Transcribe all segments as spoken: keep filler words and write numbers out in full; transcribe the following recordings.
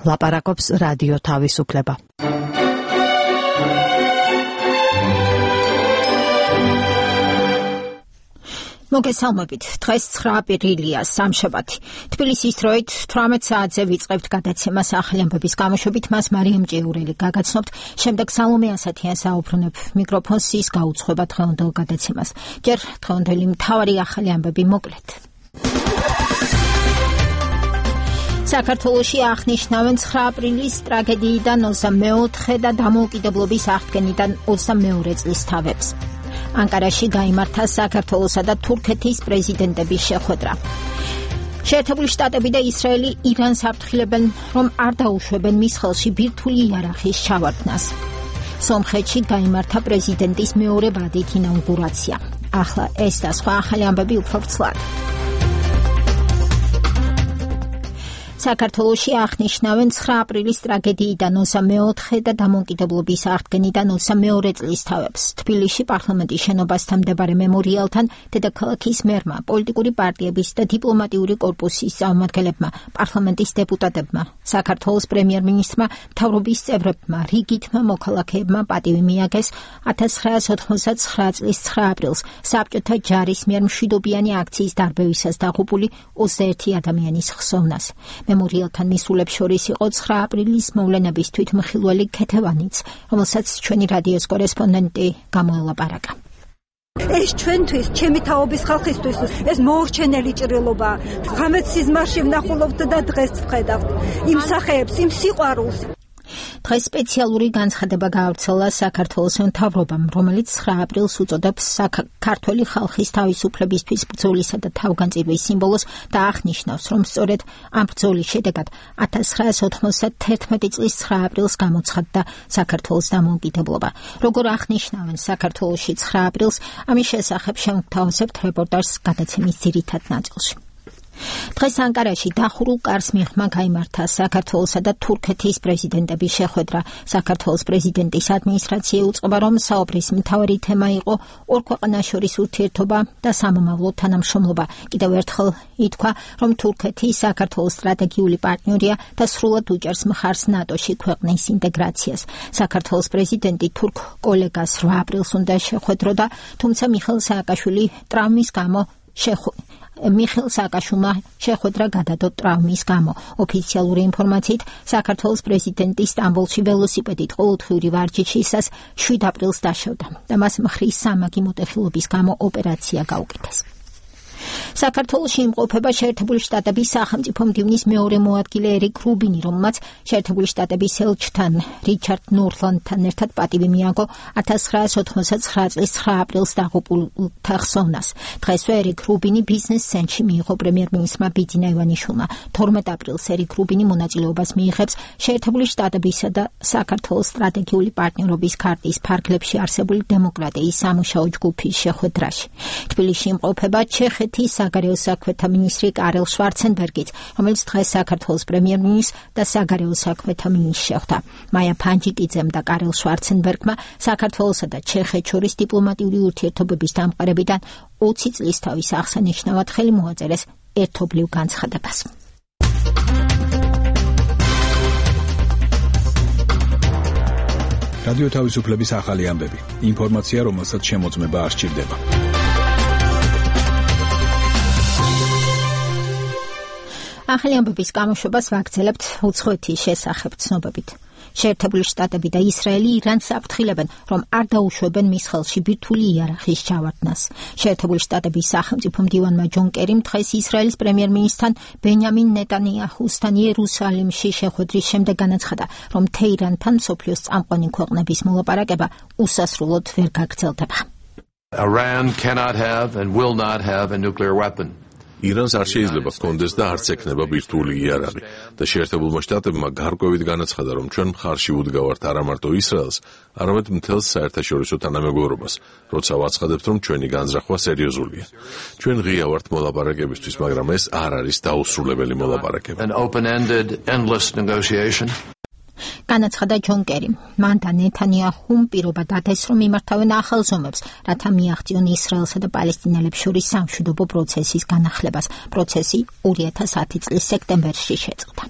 ლაპარაკობს რადიო თავისუფლება. მოგესალმებით. დღეს ცხრა აპრილია, სამშაბათი. თბილისის დროით თვრამეტ საათზე ვიწყებთ გადაცემას ახალი ამბების გამოშვებით, მას მარიამ ჭიურელი გაგაცნობთ. შემდეგ სალომე ასათიან საუბრუნებ მიკროფონს ის გაუძღვება დღევანდელ გადაცემას. ჯერ დღევანდელი მთავარი ახალი ამბები მოკლედ. საქართველოში აღნიშნავენ ცხრა აპრილის ტრაგედიიდან ოცდამეოთხე და დამოუკიდებლობის აღდგენიდან ოცდამეორე წლის თავებს. ანკარაში გაიმართა საქართველოსა და თურქეთის პრეზიდენტების შეხვედრა. შეერთებული შტატები და ისრაელი ირანს აფრთხილებენ, რომ არ დაუშვებენ მის ხელში ბირთვული იარაღის ჩავარდნას. სომხეთში გაიმართა პრეზიდენტის მეორე ვადით ინაუგურაცია. ახლა ეს და სხვა ახალი ამბები უფრო ვრცლად. საქართველოში აღნიშნავენ ცხრა აპრილის ტრაგედიიდან ოცდამეოთხე და დამოუკიდებლობის აღდგენიდან ოცდამეორე წლის თავებს. თბილისში პარლამენტის შენობასთან მდებარე მემორიალთან დედაქალაქის მერმა, პოლიტიკური პარტიების და დიპლომატიური კორპუსის წარმომადგენლებმა, პარლამენტის დეპუტატებმა, საქართველოს პრემიერ-მინისტრმა, მთავრობის წევრებმა, რიგითმა მოქალაქეებმა პატივი მიაგეს ათას ცხრაას ოთხმოცდაცხრა წლის ცხრა აპრილს საბჭოთა ჯარის მიერ მშვიდობიანი აქციის დარბევისას დაღუპული ოცდაერთი ადამიანის ხსოვნას. მემორიალთან მისულებს შორის იყო ცხრა აპრილის მოვლენების თვითმხილველი ქეთევანიც, რომელსაც ჩვენი რადიოს კორესპონდენტი გამოელაპარაკა. ეს ჩვენთვის, ჩემი თაობის ხალხისთვის, ეს მოურჩენელი ჭრილობა. ღამეთ სიზმარში ვნახულობთ და დღეს ვხედავთ იმ სახეებს, იმ სიყვარულს. დღეს სპეციალური განცხადება გაავრცელა საქართველოს მთავრობამ, რომელიც ცხრა აპრილს უწოდებს ქართველი ხალხის თავისუფლებისთვის ბრძოლისა და თავგანწირვის სიმბოლოს და აღნიშნავს, რომ სწორედ ამ ბრძოლის შედეგად ათას ცხრაას ოთხმოცდათერთმეტი წლის ცხრა აპრილს გამოცხადდა საქართველოს დამოუკიდებლობა. როგორ აღნიშნავენ საქართველოში ცხრა აპრილს, ამის შესახებ შევთავაზებთ რეპორტაჟს გადაცემის ძირითად ნაწილში. დღეს ანკარაში დახურულ კარს მიღმა გაიმართა საქართველოსა და თურქეთის პრეზიდენტების შეხვედრა. საქართველოს პრეზიდენტის ადმინისტრაცია უწყობა, რომ საუბრის მთავარი თემა იყო ორ ქვეყანას შორის ურთიერთობა და სამომავლო თანამშრომლობა. კიდევ ერთხელ ითქვა, რომ თურქეთი საქართველოს სტრატეგიული პარტნიორია და სრულად უჭერს მხარს ნატოში ქვეყნის ინტეგრაციას. საქართველოს პრეზიდენტი თურქ კოლეგას რვა აპრილს უნდა შეხვედროდა, თუმცა მიხეილ სააკაშვილი ტრავმის გამო შეხვედრა მიხეილ სააკაშვილმა შეხვედრა გადადო ტრავმის გამო. ოფიციალური ინფორმაციით, საქართველოს პრეზიდენტი სტამბოლში ველოსიპედით ყოველდღიური ვარჯიშისას შვიდ აპრილს დაშავდა და მას მხრის სამაგი მოტეხილობის გამო ოპერაცია გაუკეთეს. საქართველოში იმყოფება შეერთებული შტატების სახელმწიფო მდივნის მეორე მოადგილე ერიკ რუბინი, რომელმაც შეერთებული შტატების ელჩთან რიჩარდ ნორლანდთან ერთად პატივი მიაგო ათას ცხრაას ოთხმოცდაცხრა წლის ცხრა აპრილს დაღუპულთა ხსოვნას. დღესვე ერიკ რუბინი ბიზნეს ცენტრში მიიღო პრემიერ-მინისტრმა ბიძინა ივანიშვილმა. თორმეტ აპრილს ერიკ რუბინი მონაწილეობას მიიღებს შეერთებული შტატებისა და საქართველოს სტრატეგიული პარტნიორობის ქარტის ფარგლებში არსებული დემოკრატიის სამუშაო ჯგუფის შეხვედრაში. თბილისში იმყოფება ჩეხეთის საგარეო საქმეთა მინისტრი კარელ შვარცენბერგიც, რომელიც დღეს საქართველოს პრემიერ-მინისტრს და საგარეო საქმეთა მინისტრს შეხვდა. მაია ფანჯიკიძემ და კარელ შვარცენბერგმა საქართველოსა და ჩეხეთს შორის დიპლომატიური ურთიერთობების დამყარებიდან ოცი წლის თავის აღსანიშნავად ხელი მოაწერეს ერთობლივ განცხადებას. რადიო თავისუფლების ახალი ამბები. ინფორმაცია, რომელსაც შემოწმება არ სჭირდება. ახალი ამბების გამოშვებას ვაგრძელებთ უცხოეთის შესახებ ცნობებით. შეერთებული შტატები და ისრაელი ირანს აფრთხილებენ, რომ არ დაუშვებენ მის ხელში ბირთვული იარაღის ჩავარდნას. შეერთებული შტატების სახელმწიფო მდივანმა ჯონ კერიმ დღეს ისრაელის პრემიერ-მინისტრთან ბენიამინ ნეტანიაჰუსთან იერუსალიმში შეხვედრის შემდეგ განაცხადა, რომ თეირანთან მსოფლიოს წამყვანი ქვეყნების მოლაპარაკება უსასრულოდ ვერ გაგრძელდება. Iran cannot have and will not have a nuclear weapon. ირანს არ შეიძლება ჰქონდეს და არც ექნება ბირთვული იარაღი და შეერთებულმა შტატებმა გარკვევით განაცხადა, რომ ჩვენ მხარში უდგავართ არა მარტო ისრაელს, არამედ მთელს საერთაშორისო თანამეგობრობას, როცა ვაცხადებთ, რომ ჩვენი განზრახვა სერიოზულია. ჩვენ ღია ვართ მოლაპარაკებისთვის, მაგრამ ეს არ არის დაუსრულებელი მოლაპარაკება. An open-ended, endless negotiation. განაცხადა ჯონ კერიმ. მან და ნეთანიაჰუმ პირობა დადეს, რომ იმართავენ ახალ ზომებს, რათა მიაღწიონ ისრაელსა და პალესტინელებს შორის სამშვიდობო პროცესის განახლებას. პროცესი ორი ათას ათი წლის სექტემბერში შეწყდა.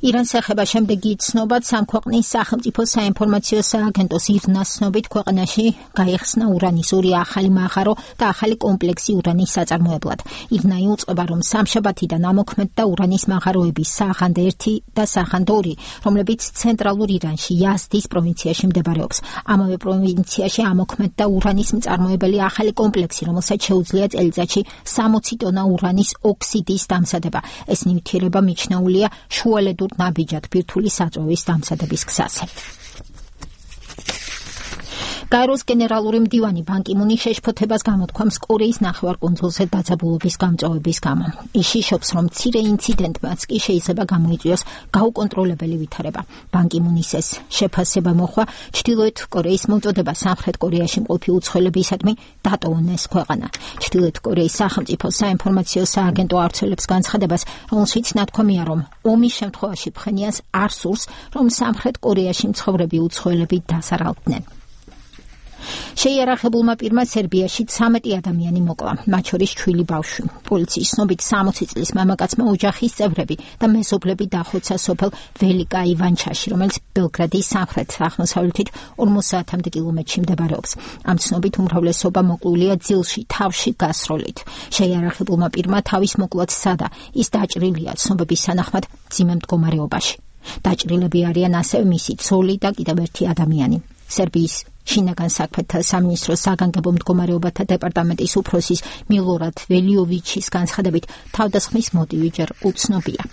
ირანს ეხება შემდეგი ცნობაც სამ ქვეყნის სახელმწიფო საინფორმაციო სააგენტოს ირნას ცნობით ქვეყანაში გაიხსნა ურანის ორი ახალი მაღარო და ახალი კომპლექსი ურანის საწარმოებლად. ირნა იუწყება, რომ სამშაბათიდან ამოქმედდა ურანის მაღაროების საღანდ ერთი და საღანდ ორი, რომლებიც ცენტრალურ ირანში იაზდის პროვინციაში მდებარეობს. ამავე პროვინციაში ამოქმედდა ურანის მწარმოებელი ახალი კომპლექსი, რომელსაც შეუძლია წელიწადში სამოცი ტონა ურანის ოქსიდის დამზადება. ეს ნივთიერება მიჩნეულია შუალედურ ნაბიჯად ბირთვული საწვევის დამზადების გზაზე. გაეროს გენერალური მდივანი ბან კი მუნი შეშფოთებას გამოთქვამს კორეის ნახევარკუნძულზე დაძაბულობის გამწვავების გამო. ის შიშობს, რომ მცირე ინციდენტმაც კი შეიძლება გამოიწვიოს გაუკონტროლებელი ვითარება. ბან კი მუნის ეს შეფასება მოხვა ჩრდილოეთ კორეის მოწოდება სამხრეთ კორეაში მყოფი უცხოელებისადმი დატოვონ ეს ქვეყანა. ჩრდილოეთ კორეის სახელმწიფო საინფორმაციო სააგენტო ავრცელებს განცხადებას, რომელშიც ნათქვამია, რომ ომის შემთხვევაში ფხენიანს არ სურს, რომ სამხრეთ კორეაში მცხოვრები უცხოელები დასარალდნენ. შეიარაღებულმა პირმა სერბიაში ცამეტი ადამიანი მოკლა, მათ შორის ჩვილი ბავშვი. პოლიციის ცნობით სამოცი წლის მამაკაცმა ოჯახის წევრები და მეზობლები დახოცა სოფელ ველიკა ივანჩაში, რომელიც ბელგრადის სამხრეთ-აღმოსავლეთით ორმოცდაათამდე კილომეტრში მდებარეობს. ამ ცნობით უმრავლესობა მოკლულია ძილში, თავში გასროლით. შეიარაღებულმა პირმა თავის მოკლაც სცადა, ის დაჭრილია ცნობების თანახმად მძიმე მდგომარეობაში. დაჭრილები არიან ასევე მისი ცოლი და კიდევ ერთი ადამიანი. სერბიის შინაგან საქმეთა სამინისტროს საგანგებო მდგომარეობათა დეპარტამენტის უფროსის მილორად ველიოვიჩის განცხადებით, თავდასხმის მოტივი ჯერ უცნობია.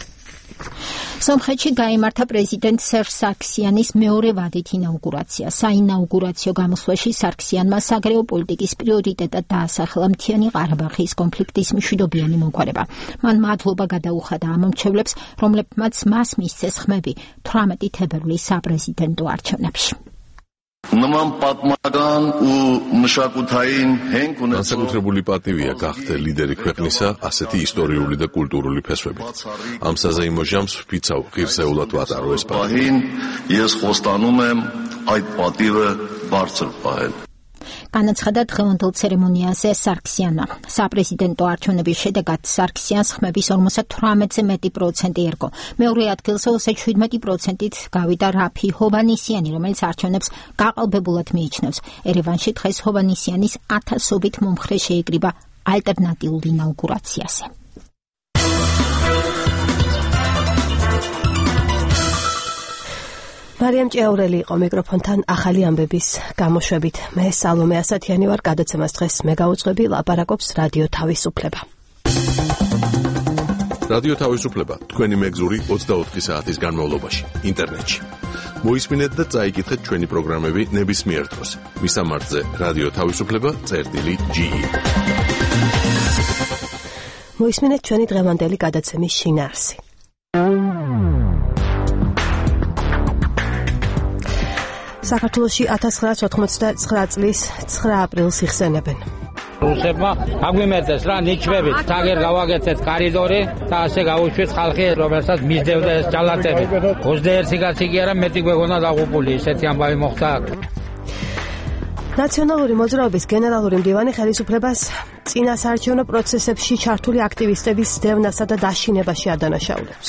სომხეთში გაიმართა პრეზიდენტ სერჟ სარქსიანის მეორე ვადით ინაუგურაცია. საინაუგურაციო გამოსვლაში სარქსიანმა საგარეო პოლიტიკის პრიორიტეტად დაასახელა მთიანი ყარაბაღის კონფლიქტის მშვიდობიანი მოგვარება. მან მადლობა გადაუხადა ამ მომრჩევლებს, რომლებმაც მას მისცეს ხმები თვრამეტი თებერვლის საპრეზიდენტო არჩევნებში. Նման պատմական ու մշակութային հենք ունեցող Განსაკუთრებული პატივია გახდე ლიდერი ქვეყნისა ასეთი ისტორიული და კულტურული ფესვებით. Ამ საზეიმო ჟამს ვფიცავ ღირსეულად ვატარო ეს պահին ես խոստանում եմ այդ պատիվը բարձր պահել. განაცხადა დღევანდელ ცერემონიაზე სარქსიანმა. საპრეზიდენტო არჩევნების შედეგად სარქსიანს ხმების ორმოცდათვრამეტზე მეტი პროცენტი ერგო. მეორე ადგილზე ოცდაშვიდმეტი პროცენტით გავიდა რაფი ჰოვანისიანი, რომელიც არჩევნებს გაყალბებულად მიიჩნევს. ერევანში დღეს ჰოვანისიანის ათასობით მომხრე შეიკრიბა ალტერნატიულ ინაუგურაციაზე. მარიამ ჭიაურელი იყო მიკროფონთან ახალი ამბების გამოშვებით. მე სალომე ასათიანი ვარ, გადაცემას დღეს მე გავუძღვები, ლაპარაკობს რადიო თავისუფლება. რადიო თავისუფლება თქვენი მეგზური ოცდაოთხი საათის განმავლობაში ინტერნეტში. მოისმინეთ და წაიკითხეთ ჩვენი პროგრამები ნებისმიერ დროს. მისამართზე რადიო თავისუფლება წერტილი ჯი ი. მოისმინეთ ჩვენი დღევანდელი გადაცემის შინაარსი. საქართველოში ათას ცხრაას ოთხმოცდათცხრა წლის ცხრა აპრილს იხსენებენ. რუსებმა აგვიმეტეს რა ნიჩვებით, თაგერ გავაგეთეთ კარიდორი და ასე გავუშვით ხალხი, რომელსაც მისდევდა ეს ჯალათები. ოცდაერთი კაცი კი არა, მეტი გვეგონა დაღუპული, ესეთი ამბავი მოხდა. ნაციონალური მოძრაობის გენერალური მდივანი ხელისუფლებას წინასაარჩევნო პროცესებში ჩართული აქტივისტების დევნასა და დაშინებაში ადანაშაულებს.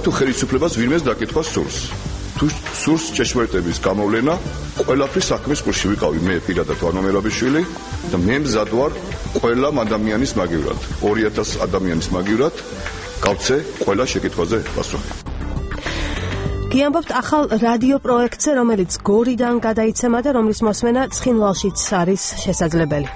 თუ ხელისუფლებას ვინმეს დაკითხვა სურს, თუ სურს ჭეშმარიტების გამოვლენა, ყველაფრის საქმის ყურში ვიყავი მე პირადად ვარნო მერაბიშვილი და მე მზად ვარ ყველა ადამიანის მაგივრად, ორი ათას ადამიანის მაგივრად გავცე ყველა შეკითხვაზე პასუხი. გიამბობთ ახალ რადიო პროექტზე, რომელიც გორიდან გადაიცემა და რომლის მოსმენა ცხინვალშიც არის შესაძლებელი.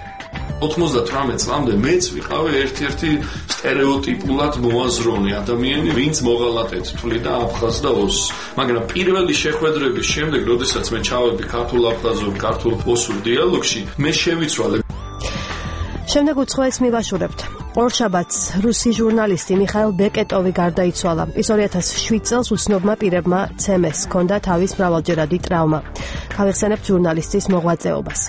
ოცდათვრამეტ წლამდე მეც ვიყავი ერთ-ერთი სტერეოტიპულად მოაზროვნე ადამიანი, ვინც მოღალატედ თვლიდა აფხაზს და ოსს. მაგრამ პირველი შეხვედრების შემდეგ, როდესაც მე ჩავედი ქართულ-აფხაზურ, ქართულ-ოსურ დიალოგში, მე შევიცვალე. შემდეგ უცხოეთს მივაშურებთ. ორშაბათს რუსი ჟურნალისტი მიხაილ ბეკეტოვი გარდაიცვალა. ის ორი ათას შვიდ წელს უცნობმა პირებმა ცემეს, ჰქონდა თავის მრავალჯერადი ტრავმა. გავიხსენებთ ჟურნალისტის მოღვაწეობას.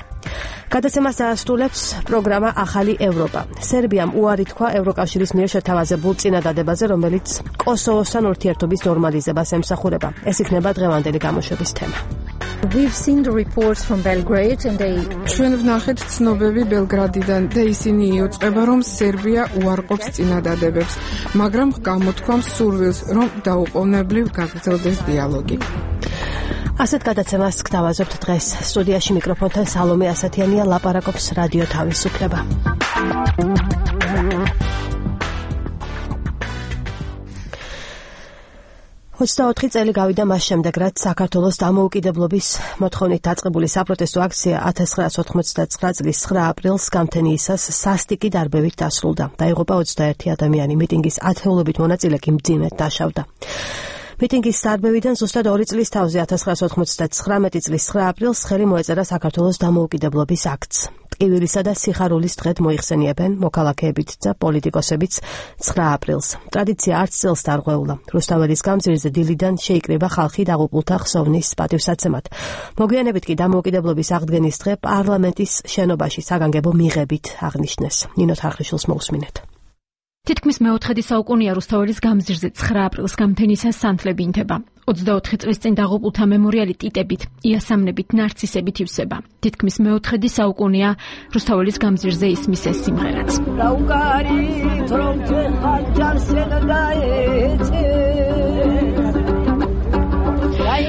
გადაცემას დაასრულებს პროგრამა ახალი ევროპა. სერბიამ უარი თქვა ევროკავშირის მიერ შეთავაზებულ წინადადებაზე, რომელიც კოსოვოსთან ურთიერთობის ნორმალიზებას ემსახურება. ეს იქნება დღევანდელი გამოშვების თემა. We've seen the reports from Belgrade and they ჩვენ ვნახეთ ცნობები ბელგრადიდან და ისინი იუწყება რომ სერბია უარყოფს წინადადებებს, მაგრამ გამოთქვამს სურვილს რომ დაუყოვნებლივ გაგრძელდეს დიალოგი. ასეთ გადაცემას გთავაზობთ დღეს. სტუდიაში მიკროფონთან სალომე ასათიანია, ლაპარაკობს რადიო თავისუფლება. ოცდაოთხი წელი გავიდა მას შემდეგ, რაც საქართველოს დამოუკიდებლობის მოთხოვნით დაწყებული საპროტესტო აქცია ათას ცხრაასი ოთხმოცდათცხრა წლის ცხრა აპრილს გამთენიისას სასტიკი დარბევით დასრულდა. დაიღუპა ოცდაერთი ადამიანი, მიტინგის ათეულობით მონაწილე კი მძიმედ დაშავდა. მიტინგის დარბევიდან ზუსტად ორი წლის თავზე ათას ცხრაასი ოცდაათი წლის ცხრა აპრილს ხელი მოეწერა საქართველოს დამოუკიდებლობის აქტს. ტკივილისა და სიხარულის დღედ მოიხსენიებენ მოქალაქეებიც და პოლიტიკოსებიც ცხრა აპრილს. ტრადიცია არც წელს დარღვეულა. რუსთაველის გამზირზე დილიდან შეიკრიბა ხალხი დაღუპულთა ხსოვნის პატივსაცემად. მოგვიანებით კი დამოუკიდებლობის აღდგენის დღე პარლამენტის შენობაში საგანგებო მიღებით აღნიშნეს. ნინო თარხიშვილს მოусმინეთ. თითქმის მეოთხედი საუკუნეა რუსთაველის გამზირზე ცხრა აპრილს გამთენისას სანთლები ინთება. ოცდაოთხი წლის წინ დაღუპულთა მემორიალი ტიტებით, იასამნებით, ნარცისებით ივსება. თითქმის მეოთხედი საუკუნეა რუსთაველის გამზირზე ისმის ეს სიმღერაც.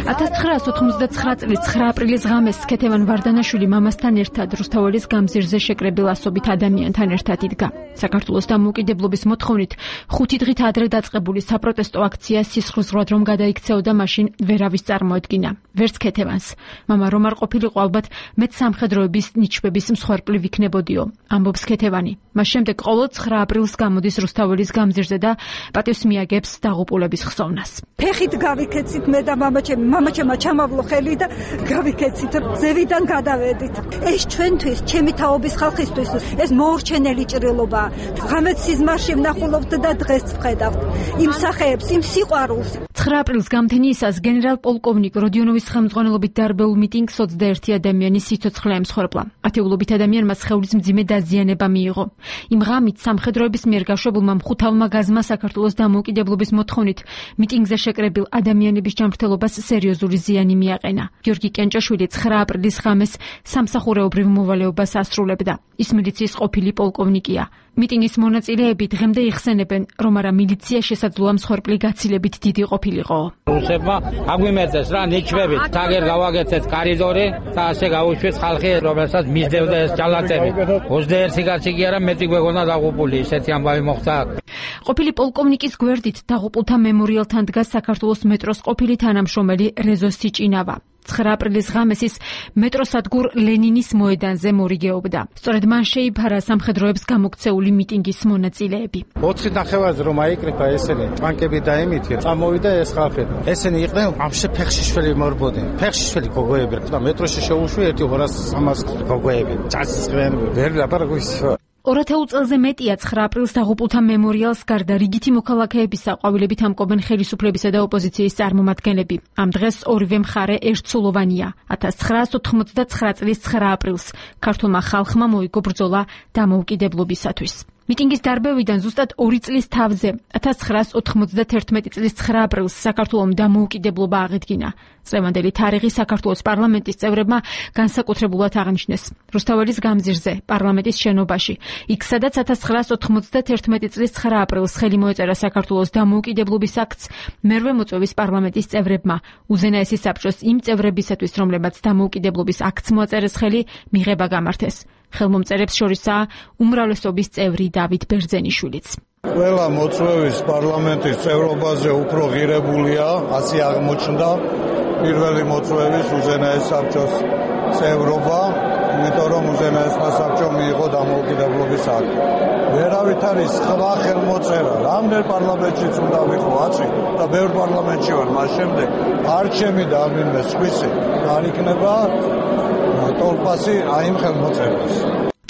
ათას ცხრაასი ოცდაათი წლის ცხრა აპრილის ღამეს ქეთევან ვარდანაშვილი მამასთან ერთად რუსთაველის გამზირზე შეკრებილ ასობით ადამიანთან ერთად იდგა. საქართველოს დამოუკიდებლობის მოთხოვნით ხუთი დღით ადრე დაწყებული საპროტესტო აქცია სისხლძვრად რომ გადაიქცეოდა, მაშინ ვერავის წარმოედგინა. ვერც ქეთევანს. მამა რომ არ ყოფილიყო, ალბათ მეც სამხედროების ნიჩბების მსხვერპლი ვიქნებოდიო, ამბობს ქეთევანი. მას შემდეგ ყოველ ცხრა აპრილს გამოდის რუსთაველის გამზირზე და პატივს მიაგებს დაღუპულების ხსოვნას. ფეხით გავიქეცით მე და მამაჩემი, მამაჩემმა ჩამავლო ხელი და გავიქეცით, ზევიდან გადავედით. ეს ჩვენთვის, ჩემი თაობის ხალხისთვის, ეს მოურჩენელი ჭრილობა. ღამეც სიზმარში ვნახულობთ და დღეს ვხედავთ იმ სახეებს, იმ სიყვარულს. ცხრა აპრილს გამთენიისას გენერალ-პოლკოვნიკ როდიონოვის ხელმძღვანელობით დარბეულ მიტინგს ოცდაერთი ადამიანის სიცოცხლე ემსხვერპლა. ათეულობით ადამიანმა სხეულის მძიმე დაზიანება მიიღო. იმ ღამით სამხედროების მიერ გაშვებულმა მხუთავმა გაზმა საქართველოს დამოუკიდებლობის მოთხოვნით მიტინგზე შეკრებილ ადამიანების ჯანმრთელობას სერიოზული ზიანი მიაყენა. გიორგი კენჭაშვილი ცხრა აპრილის ღამეს სამსახურეობრივ მოვალეობას ასრულებდა. ის მილიციის ყოფილი პოლკოვნიკია. მიტინგის მონაწილეები დღემდე იხსენებენ, რომ არა მილიცია შესაძლოა მსხვერპლი გაცილებით დიდი ყოფილიყო. რუსებმა აგვიმეწეს რა ნიჩვებით, თაგერ გავაგეცეთ კარიდორი და ასე გაუშვეს ხალხი, რომელსაც მისდევდა ეს ჯალათები. ოცდაერთი კაცი კი არა, მეტი გვეგონა დაღუპული, ესეთი ამბავი მოხდა. ყოფილი პოლკოვნიკის გვერდით დაღუპულთა მემორიალთან დგას საქართველოს მეტროს ყოფილი თანამშრომელი რეზო სიჭინავა. ცხრა აპრილის ღამეს ის მეტროსადგურ ლენინის მოედანზე მორიგეობდა. სწორედ მან შეიფარა სამხედროებს გამოქცეული მიტინგის მონაწილეები. ოთხი ნახევარზე რომ აიკრიფა ესენი, ტანკები დაემითი, წამოვიდა ეს ხალხი. ესენი იყვნენ ამში ფეხშიშველი მორბოდნენ. ფეხშიშველი გოგოები და მეტროში შეუშვი ერთი ორას სამას გოგოები. წასწრენ ვერ ლაპარაკობს. ორ-ათეულ წელზე მეტია ცხრა აპრილს დაღუპულთა მემორიალს გარდა რიგითი მოქალაქეებისა ყვავილებით ამკობენ ხელისუფლებისა და ოპოზიციის წარმომადგენლები. ამ დღეს ორივე მხარე ერთსულოვანია. ათას ცხრაასი ოთხმოცდათცხრა წლის ცხრა აპრილს ქართულმა ხალხმა მოიგო ბრძოლა დამოუკიდებლობისათვის. მიტინგის დარბევიდან ზუსტად ორი წლის თავზე ათას ცხრაასი ოთხმოცდათერთმეტი წლის ცხრა აპრილს საქართველომ დამოუკიდებლობა აღედგინა. წლევანდელი თარიღი საქართველოს პარლამენტის წევრებმა განსაკუთრებულად აღნიშნეს რუსთაველის გამზირზე, პარლამენტის შენობაში. იქ სადაც ათას ცხრაასი ოთხმოცდათერთმეტი წლის ცხრა აპრილს ხელი მოეწერა საქართველოს დამოუკიდებლობის აქტს, მერვე მოწვევის პარლამენტის წევრებმა უზენაესი საბჭოს იმ წევრებისათვის, რომლებაც დამოუკიდებლობის აქტს მოაწერეს ხელი, მიღება გამართეს. ხელმომწერებს შორისაა უმრავლესობის წევრი დავით ბერძენიშვილიც. ყველა მოწვევის პარლამენტის წევრობაზე უფრო ღირებულია, ასე აღმოჩნდა პირველი მოწვევის უზენაეს საბჭოს წევრობა, იმიტომ რომ უზენაესმა საბჭომ მიიღო დამოუკიდებლობის აქტი. ვერავით არის სხვა ხელმოწერა, რამდენ პარლამენტშიც უნდა ვიყო აცი და ბევრ პარლამენტში ვარ, მას შემდეგ არჩემი და ვინმე სხვისი არ იქნება ტოლპასი აი იმ ხელმოწერას.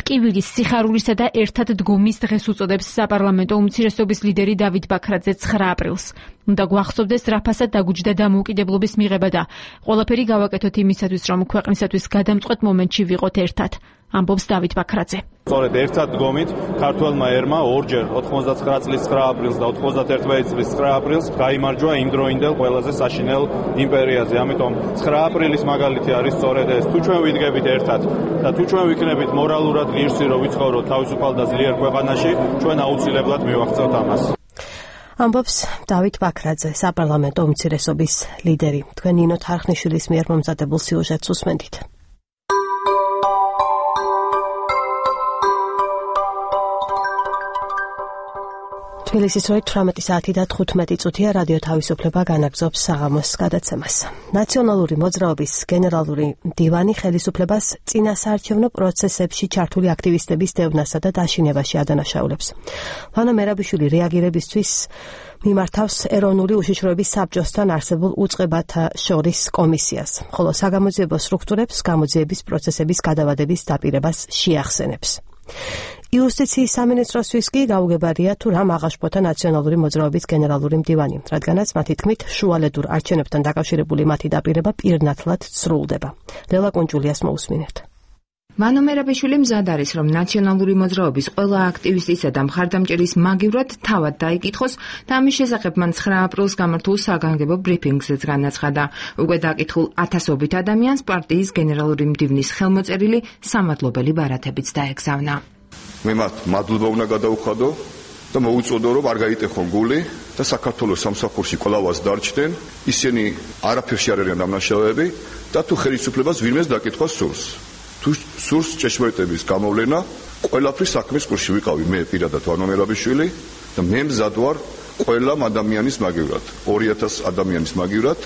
ტკივილის, სიხარულისა და ერთად დგომის დღეს უწოდებს საპარლამენტო უმცირესობის ლიდერი დავით ბაქრაძე ცხრა აპრილს. უნდა გვახსოვდეს რა ფასად დაგუჯდა დამოუკიდებლობის მიღება და ყველაფერი გავაკეთოთ იმისათვის, რომ ქვეყნისათვის გადამწყვეტ მომენტში ვიყოთ ერთად. ამბობს დავით ბაქრაძე. სწორედ ერთად დგომით ქართველმა ერმა ორჯერ ოთხმოცდათცხრა წლის ცხრა აპრილს და ოცდაათი წლის ცხრა აპრილს გაიმარჯვა იმდროინდელ ყველაზე საშინელ იმპერიაზე. ამიტომ ცხრა აპრილის მაგალითი არის სწორედ ეს. თუ ჩვენ ვიდგებით ერთად და თუ ჩვენ ვიქნებით მორალურად ღირსი, რომ ვიცხოვროთ თავისუფალ და ძლიერ ქვეყანაში, ჩვენ აუცილებლად მივაღწევთ ამას. ამბობს დავით ბაქრაძე, საპარლამენტო უმცირესობის ლიდერი. თქვენ ნინო თარხნიშვილის მიერ მომზადებულ სიუჟეტს უსმენთ. თბილისის როი თვრამეტი საათი და თხუთმეტი წუთია რადიო თავისუფლება განაგრძობს საღამოს გადაცემას. ნაციონალური მოძრაობის გენერალური მდივანი ხელისუფლებას წინასაარჩევნო პროცესებში ჩართული აქტივისტების დევნასა და დაშინებაში ადანაშაულებს. ვანო მერაბიშვილი რეაგირებისთვის მიმართავს ეროვნული უშიშროების საბჭოსთან არსებულ უწყებათა შორის კომისიას, ხოლო საგამოძიებო სტრუქტურებს გამოძიების პროცესების გადავადების დაპირებას შეახსენებს. იუსტიციის სამინისტროსთვის კი გაუგებარია თუ რა აღაშფოთა ნაციონალური მოძრაობის გენერალური მდივანი, რადგანაც მათი თქმით შუალედურ არჩევნებთან დაკავშირებული მათი დაპირება პირნათლად სრულდება. ლელა კუნჯულიას მოусმინეთ. ვანო მერაბიშვილი მზად არის, რომ ნაციონალური მოძრაობის ყველა აქტივისტისა და მხარდამჭერის მაგივრად თავად დაიკითხოს და ამის შესახებ მან ცხრა აპრილს გამართულ საგანგებო ბრიფინგზეც განაცხადა. უკვე დაკითხულ ათასობით ადამიანს პარტიის გენერალური მდივნის ხელმოწერილი სამადლობელი ბარათებიც დაეგზავნა. მე მათ მადლობა უნდა გადავუხადო და მოუწოდო, რომ არ გაიტეხონ გული და საქართველოს სამსახურში კვლავაც დარჩნენ. ისინი არაფერში არ არიან დამნაშავეები და თუ ხელისუფლებას ვინმეს დაკითხვა სურს. თუ სურს ჭეშმარიტების გამოვლენა, ყველაფრის საქმის კურსში ვიყავი მე პირადად ვანო მერაბიშვილი და მე მზად ვარ ყველა ადამიანის მაგივრად, ორი ათასი ადამიანის მაგივრად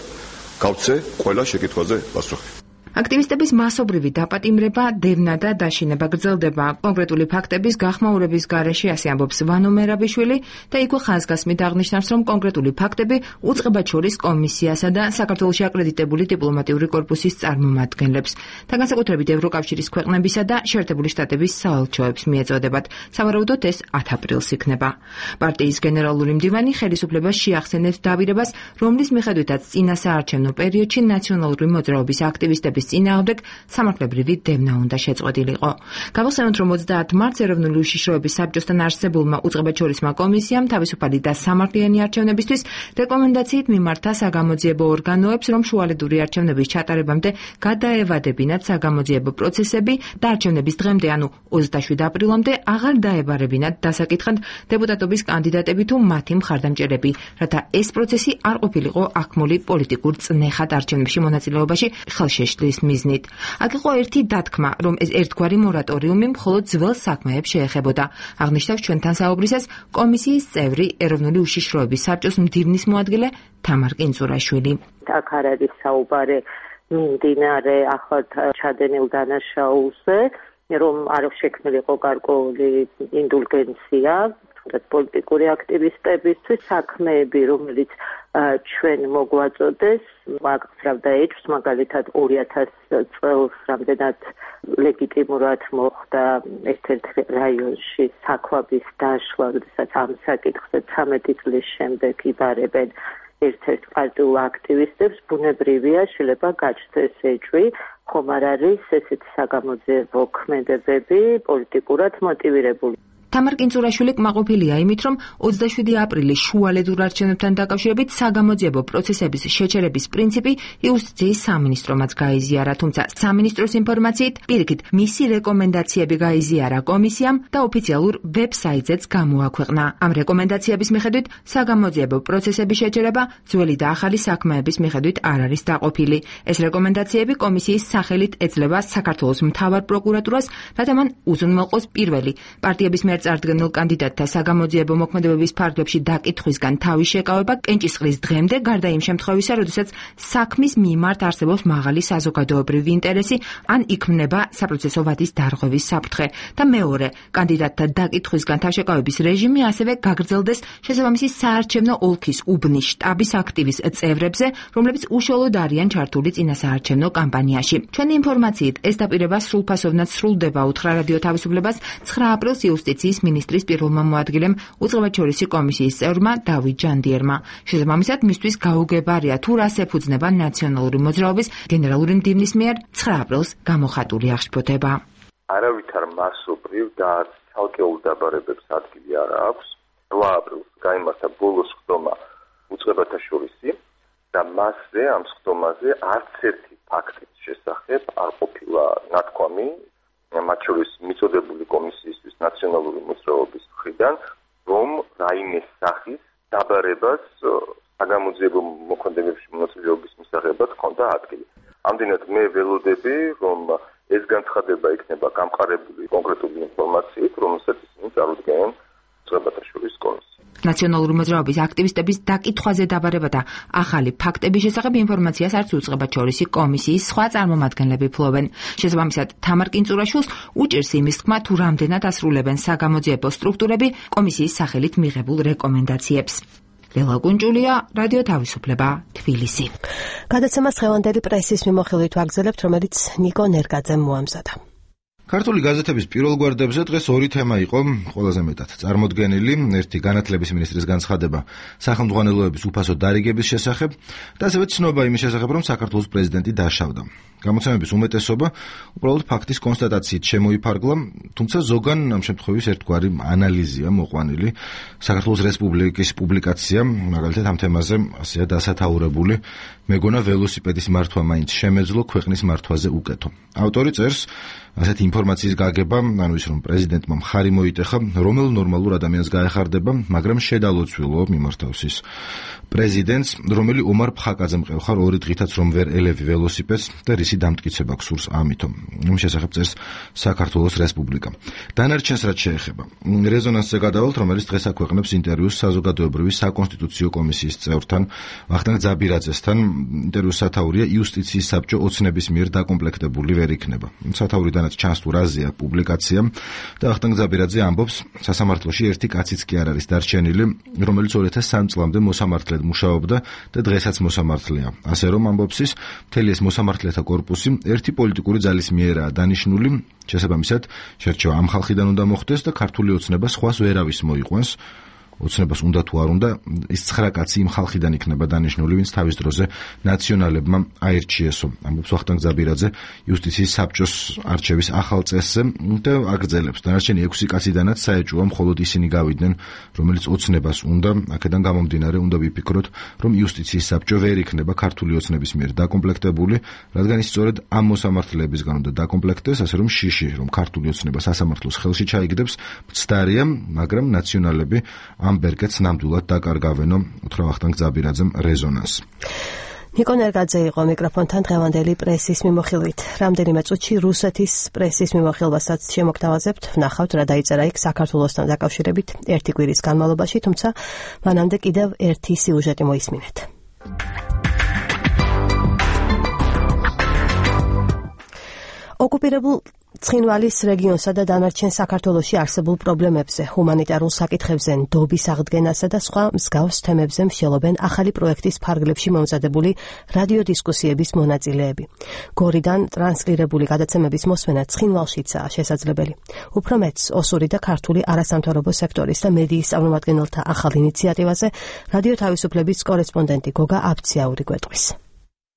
გავცე ყველა შეკითხვაზე პასუხი. აქტივისტების მასობრივი დაპატიმრება, დევნა და დაშინება გრძელდება. კონკრეტული ფაქტების გახმაურების გარეშე, ასე ამბობს ვანო მერაბიშვილი და იქვე ხაზგასმით აღნიშნავს, რომ კონკრეტული ფაქტები უწყებად შორის კომისიასა და საქართველოში აკრედიტებული დიპლომატიური კორპუსის წარმომადგენლებს და განსაკუთრებით ევროკავშირის ქვეყნებისა და შეერთებული შტატების საელჩოებს მიეწოდებათ. სავარაუდოდ ეს ათი აპრილს იქნება. პარტიის გენერალური მდივანი ხელისუფლებას შეახსენებს დაპირებას, რომლის მიხედვითაც წინასაარჩევნო პერიოდში ნაციონალური მოძრაობის აქტივისტების წინააღმდეგ სამართლებრივი დევნა უნდა შეწყვეტილიყო. გავახსენოთ, რომ ოცდაათი მარტს ეროვნული უშიშროების საბჭოსთან არსებულმა უწყებადშორისმა კომისიამ თავისუფალი და სამართლიანი არჩევნებისთვის რეკომენდაციით მიმართა საგამოძიებო ორგანოებს, რომ შუალედური არჩევნების ჩატარებამდე გადაევადებინათ საგამოძიებო პროცესები და არჩევნების დღემდე, ანუ ოცდაშვიდ აპრილამდე აღარ დაებარებინათ დასაკითხად დეპუტატობის კანდიდატები თუ მათი მხარდამჭერები, რათა ეს პროცესი არ ყოფილიყო აქმული პოლიტიკურ წნეხად არჩევნებში მონაწილეობაში ხელშეშლის მიზნით. აქ იყო ერთი დათქმა, რომ ეს ერთგვარი მორატორიუმი მხოლოდ ძველ საქმეებს შეეხებოდა. აღნიშნავს ჩვენთან საუბრისას კომისიის წევრი ეროვნული უშიშროების საბჭოს მდივნის მოადგილე თამარ კინძურაშვილი. აქ არ არის საუბარი მიმდინარე ახლად ჩადენილ დანაშაულზე, რომ არ შექმნილიყო გარკვეული ინდულგენცია პოლიტიკური აქტივისტებისთვის, საქმეები, რომელიც ჩვენ მოგვაწოდეს, მაგზრავდა ეჭვს, მაგალითად ორი ათასი წელს რამდენად ლეგიტიმურად მოხდა ერთ-ერთ რაიონში საქვაბის დაშლა, როდესაც ამ საკითხზე ცამეტი წლის შემდეგ იბარებენ ერთ-ერთ პარტიულ აქტივისტებს, ბუნებრივია შეიძლება გაჩნდეს ეჭვი, ხომ არ არის ესეთი საგამოძიებო ქმედებები პოლიტიკურად მოტივირებული. თამარ კინძურაშვილი კმაყოფილია იმით, რომ ოცდაშვიდი აპრილის შუალედურ არჩევნებთან დაკავშირებით საგამოძიებო პროცესების შეჩერების პრინციპი იუსტიციის სამინისტრომაც გაიზიარა, თუმცა სამინისტროს ინფორმაციით პირიქით მისი რეკომენდაციები გაიზიარა კომისიამ და ოფიციალურ ვებსაიტზეც გამოაქვეყნა. ამ რეკომენდაციების მიხედვით საგამოძიებო პროცესების შეჩერება ძველი და ახალი საქმეების მიხედვით არ არის დაყოფილი. ეს რეკომენდაციები კომისიის სახელით ეძლევა საქართველოს მთავარ პროკურატურას, რათა მან უზრუნველყოს პირველი პარტიების მიერ წარდგენილ კანდიდატთა საგამოძიებო მოქმედებების ფარგლებში დაკითხვისგან თავის შეკავება კენჭისყრის დღემდე, გარდა იმ შემთხვევისა, როდესაც საქმის მიმართ არსებობს მაღალი საზოგადოებრივი ინტერესი ან იქმნება საპროცესო ვადის დარღვევის საფრთხე. და მეორე, კანდიდატთა დაკითხვისგან თავშეკავების რეჟიმი ასევე გაგრძელდეს შესაბამისი საარჩევნო ოლქის უბნის შტაბის აქტივის წევრებზე, რომლებიც უშუალოდ არიან ჩართული წინასაარჩევნო კამპანიაში. ჩვენი ინფორმაციით ეს დაპირება სრულფასოვნად სრულდება, უთხრა რადიო თავისუფლებას ცხრა აპრილს იუსტიციის მინისტრის პირველმა მოადგილემ უწყებადშორისი კომისიის წევრმა დავით ჯანდიერმა. შესაბამისად, მისთვის გაუგებარია თუ რას ეფუძნება ნაციონალური მოძრაობის გენერალური მდივნის მიერ ცხრა აპრილს გამოხატული აღშფოთება. არავითარ მასობრივ და ცალკეულ დაბარებებს ადგილი არ აქვს. რვა აპრილს გაიმართა ბოლო სხდომა უწყებათა შორისი და მასზე ამ სხდომაზე არც ერთი ფაქტის შესახებ არ ყოფილა ნათქვამი, მათ შორის მიწოდებული კომისიისთვის ნაციონალური მოძრაობის მხრიდან, რომ რაიმე სახის დაბარებას საგამოძიებო მოქმედებებში მონაწილეობის მისაღებად ჰქონდა ადგილი. ამდენად მე ველოდები, რომ ეს განცხადება იქნება გამყარებული კონკრეტული ინფორმაციით, რომელსაც ისინი წარუდგენენ უწყებათა შორისის კომისიას. ნაციონალური მოძრაობის აქტივისტების დაკითხვაზე დაბარება და ახალი ფაქტების შესახებ ინფორმაციას არც უწყებათა შორისი კომისიის სხვა წარმომადგენლები ფლობენ. შესაბამისად, თამარ კინწურაშვილს უჭირს იმის თქმა, თუ რამდენად ასრულებენ საგამოძიებო სტრუქტურები კომისიის სახელით მიღებულ რეკომენდაციებს. ლელა გუნჯულია, რადიო თავისუფლება, თბილისი. გადაცემას დღევანდელი პრესის მიმოხილვით ვაგრძელებთ, რომელიც ნიკო ნერგაძემ მოამზადა. ქართული გაზეთების პირველ გვერდებზე დღეს ორი თემა იყო ყველაზე მეტად წარმოდგენილი. ერთი განათლების მინისტრის განცხადება სახელმძღვანელოების უფასო დარიგების შესახებ და ასევე ცნობა იმის შესახებ, რომ საქართველოს პრეზიდენტი დაშავდა. გამოცემების უმეტესობა უბრალოდ ფაქტის კონსტატაციით შემოიფარგლა, თუმცა ზოგან ამ შემთხვევის ერთგვარი ანალიზია მოყვანილი. საქართველოს რესპუბლიკის პუბლიკაცია, მაგალითად ამ თემაზე ასეა დასათაურებული, მეგონა ველოსიპედის მართვა მაინც შემეძლო, ქვეყნის მართვაზე უკეთო. ავტორი წერს ასეთი ინფორმაციის გაგება, ანუ ის რომ პრეზიდენტმა მხარი მოიტეხა, რომელ ნორმალურ ადამიანს გაეხარდება, მაგრამ შედალოცვილო მიმართავს ის პრეზიდენტს, რომელი ომარ ფხაკაძემ ყევხარ ორი დღითაც რომ ვერ ელევი ველოსიპედს და რისი დამტკიცება გსურს ამითო. იმ შესახებ წერს საქართველოს რესპუბლიკა. დანარჩენს რაც შეეხება, რეზონანსზე გადავალთ, რომელიც დღეს აქვეყნებს ინტერვიუს საზოგადოებრივი საკონსტიტუციო კომისიის წევრთან, ვახტანგ ძაბირაძესთან. ინტერვიუს სათაურია იუსტიციის საბჭო ოცნების მიერ დაკომპლექტებული ვერ იქნება. სათაურიდანაც ჩანს თუ რაზეა პუბლიკაცია და ვახტანგ ძაბირაძე ამბობს, სასამართლოში ერთი კაციც კი არ არის დარჩენილი, რომელიც ორი ათას სამი წლამდე მოსამართლედ მუშაობდა და დღესაც მოსამართლეა. ასე რომ ამბობს ის, მთელი ეს მოსამართლეთა კორპუსი ერთი პოლიტიკური ძალის მიერაა დანიშნული, შესაბამისად, შერჩევა ამ ხალხიდან უნდა მოხდეს და ქართული ოცნება სხვას ვერავის მოიყვანს. ოცნებას უნდა თუ არ უნდა, ის ცხრა კაცი იმ ხალხიდან იქნება დანიშნული, ვინც თავის დროზე ნაციონალებმა აირჩიესო. ამბობს ვახტანგ ძაბირაძე იუსტიციის საბჭოს არჩევის ახალ წესზე და აგრძელებს. დანარჩენი ექვსი კაციდანაც საეჭვოა მხოლოდ ისინი გავიდნენ, რომელიც ოცნებას უნდა, აქედან გამომდინარე უნდა ვიფიქროთ, რომ იუსტიციის საბჭო ვერ იქნება ქართული ოცნების მიერ დაკომპლექტებული, რადგან ის სწორედ ამ მოსამართლეებისგან უნდა დაკომპლექტდეს, ასე რომ შიში, რომ ქართული ოცნება სასამართლოს ხელში ჩაიგდებს, მცდარია, მაგრამ ნაციონალები ამ ბერკეთს ნამდვილად დაკარგავენო, უთხრა ვახტანგ ძაბირაძემ რეზონანს. ნიკო ნერგაძე იყო მიკროფონთან დღევანდელი პრესის მიმოხილვით. რამდენიმე წუთში რუსეთის პრესის მიმოხილვასაც შემოგთავაზებთ. ვნახავთ რა დაიწერა იქ საქართველოსთან დაკავშირებით ერთი კვირის განმავლობაში, თუმცა მანამდე კიდევ ერთი სიუჟეტი მოისმინეთ. ოკუპირებულ ცხინვალის რეგიონსა და დანარჩენ საქართველოში არსებულ პრობლემებზე, ჰუმანიტარულ საკითხებზე, ნდობის აღდგენასა და სხვა მსგავს თემებზე მსჯელობენ ახალი პროექტის ფარგლებში მომზადებული რადიოდისკუსიების მონაწილეები. გორიდან ტრანსლირებული გადაცემების მოსმენა ცხინვალშიცაა შესაძლებელი. უფრო მეტს, ოსური და ქართული არასამთავრობო სექტორის და მედიის წარმომადგენელთა ახალ ინიციატივაზე რადიო თავისუფლების კორესპონდენტი გოგა აბციაური გვეტყვის.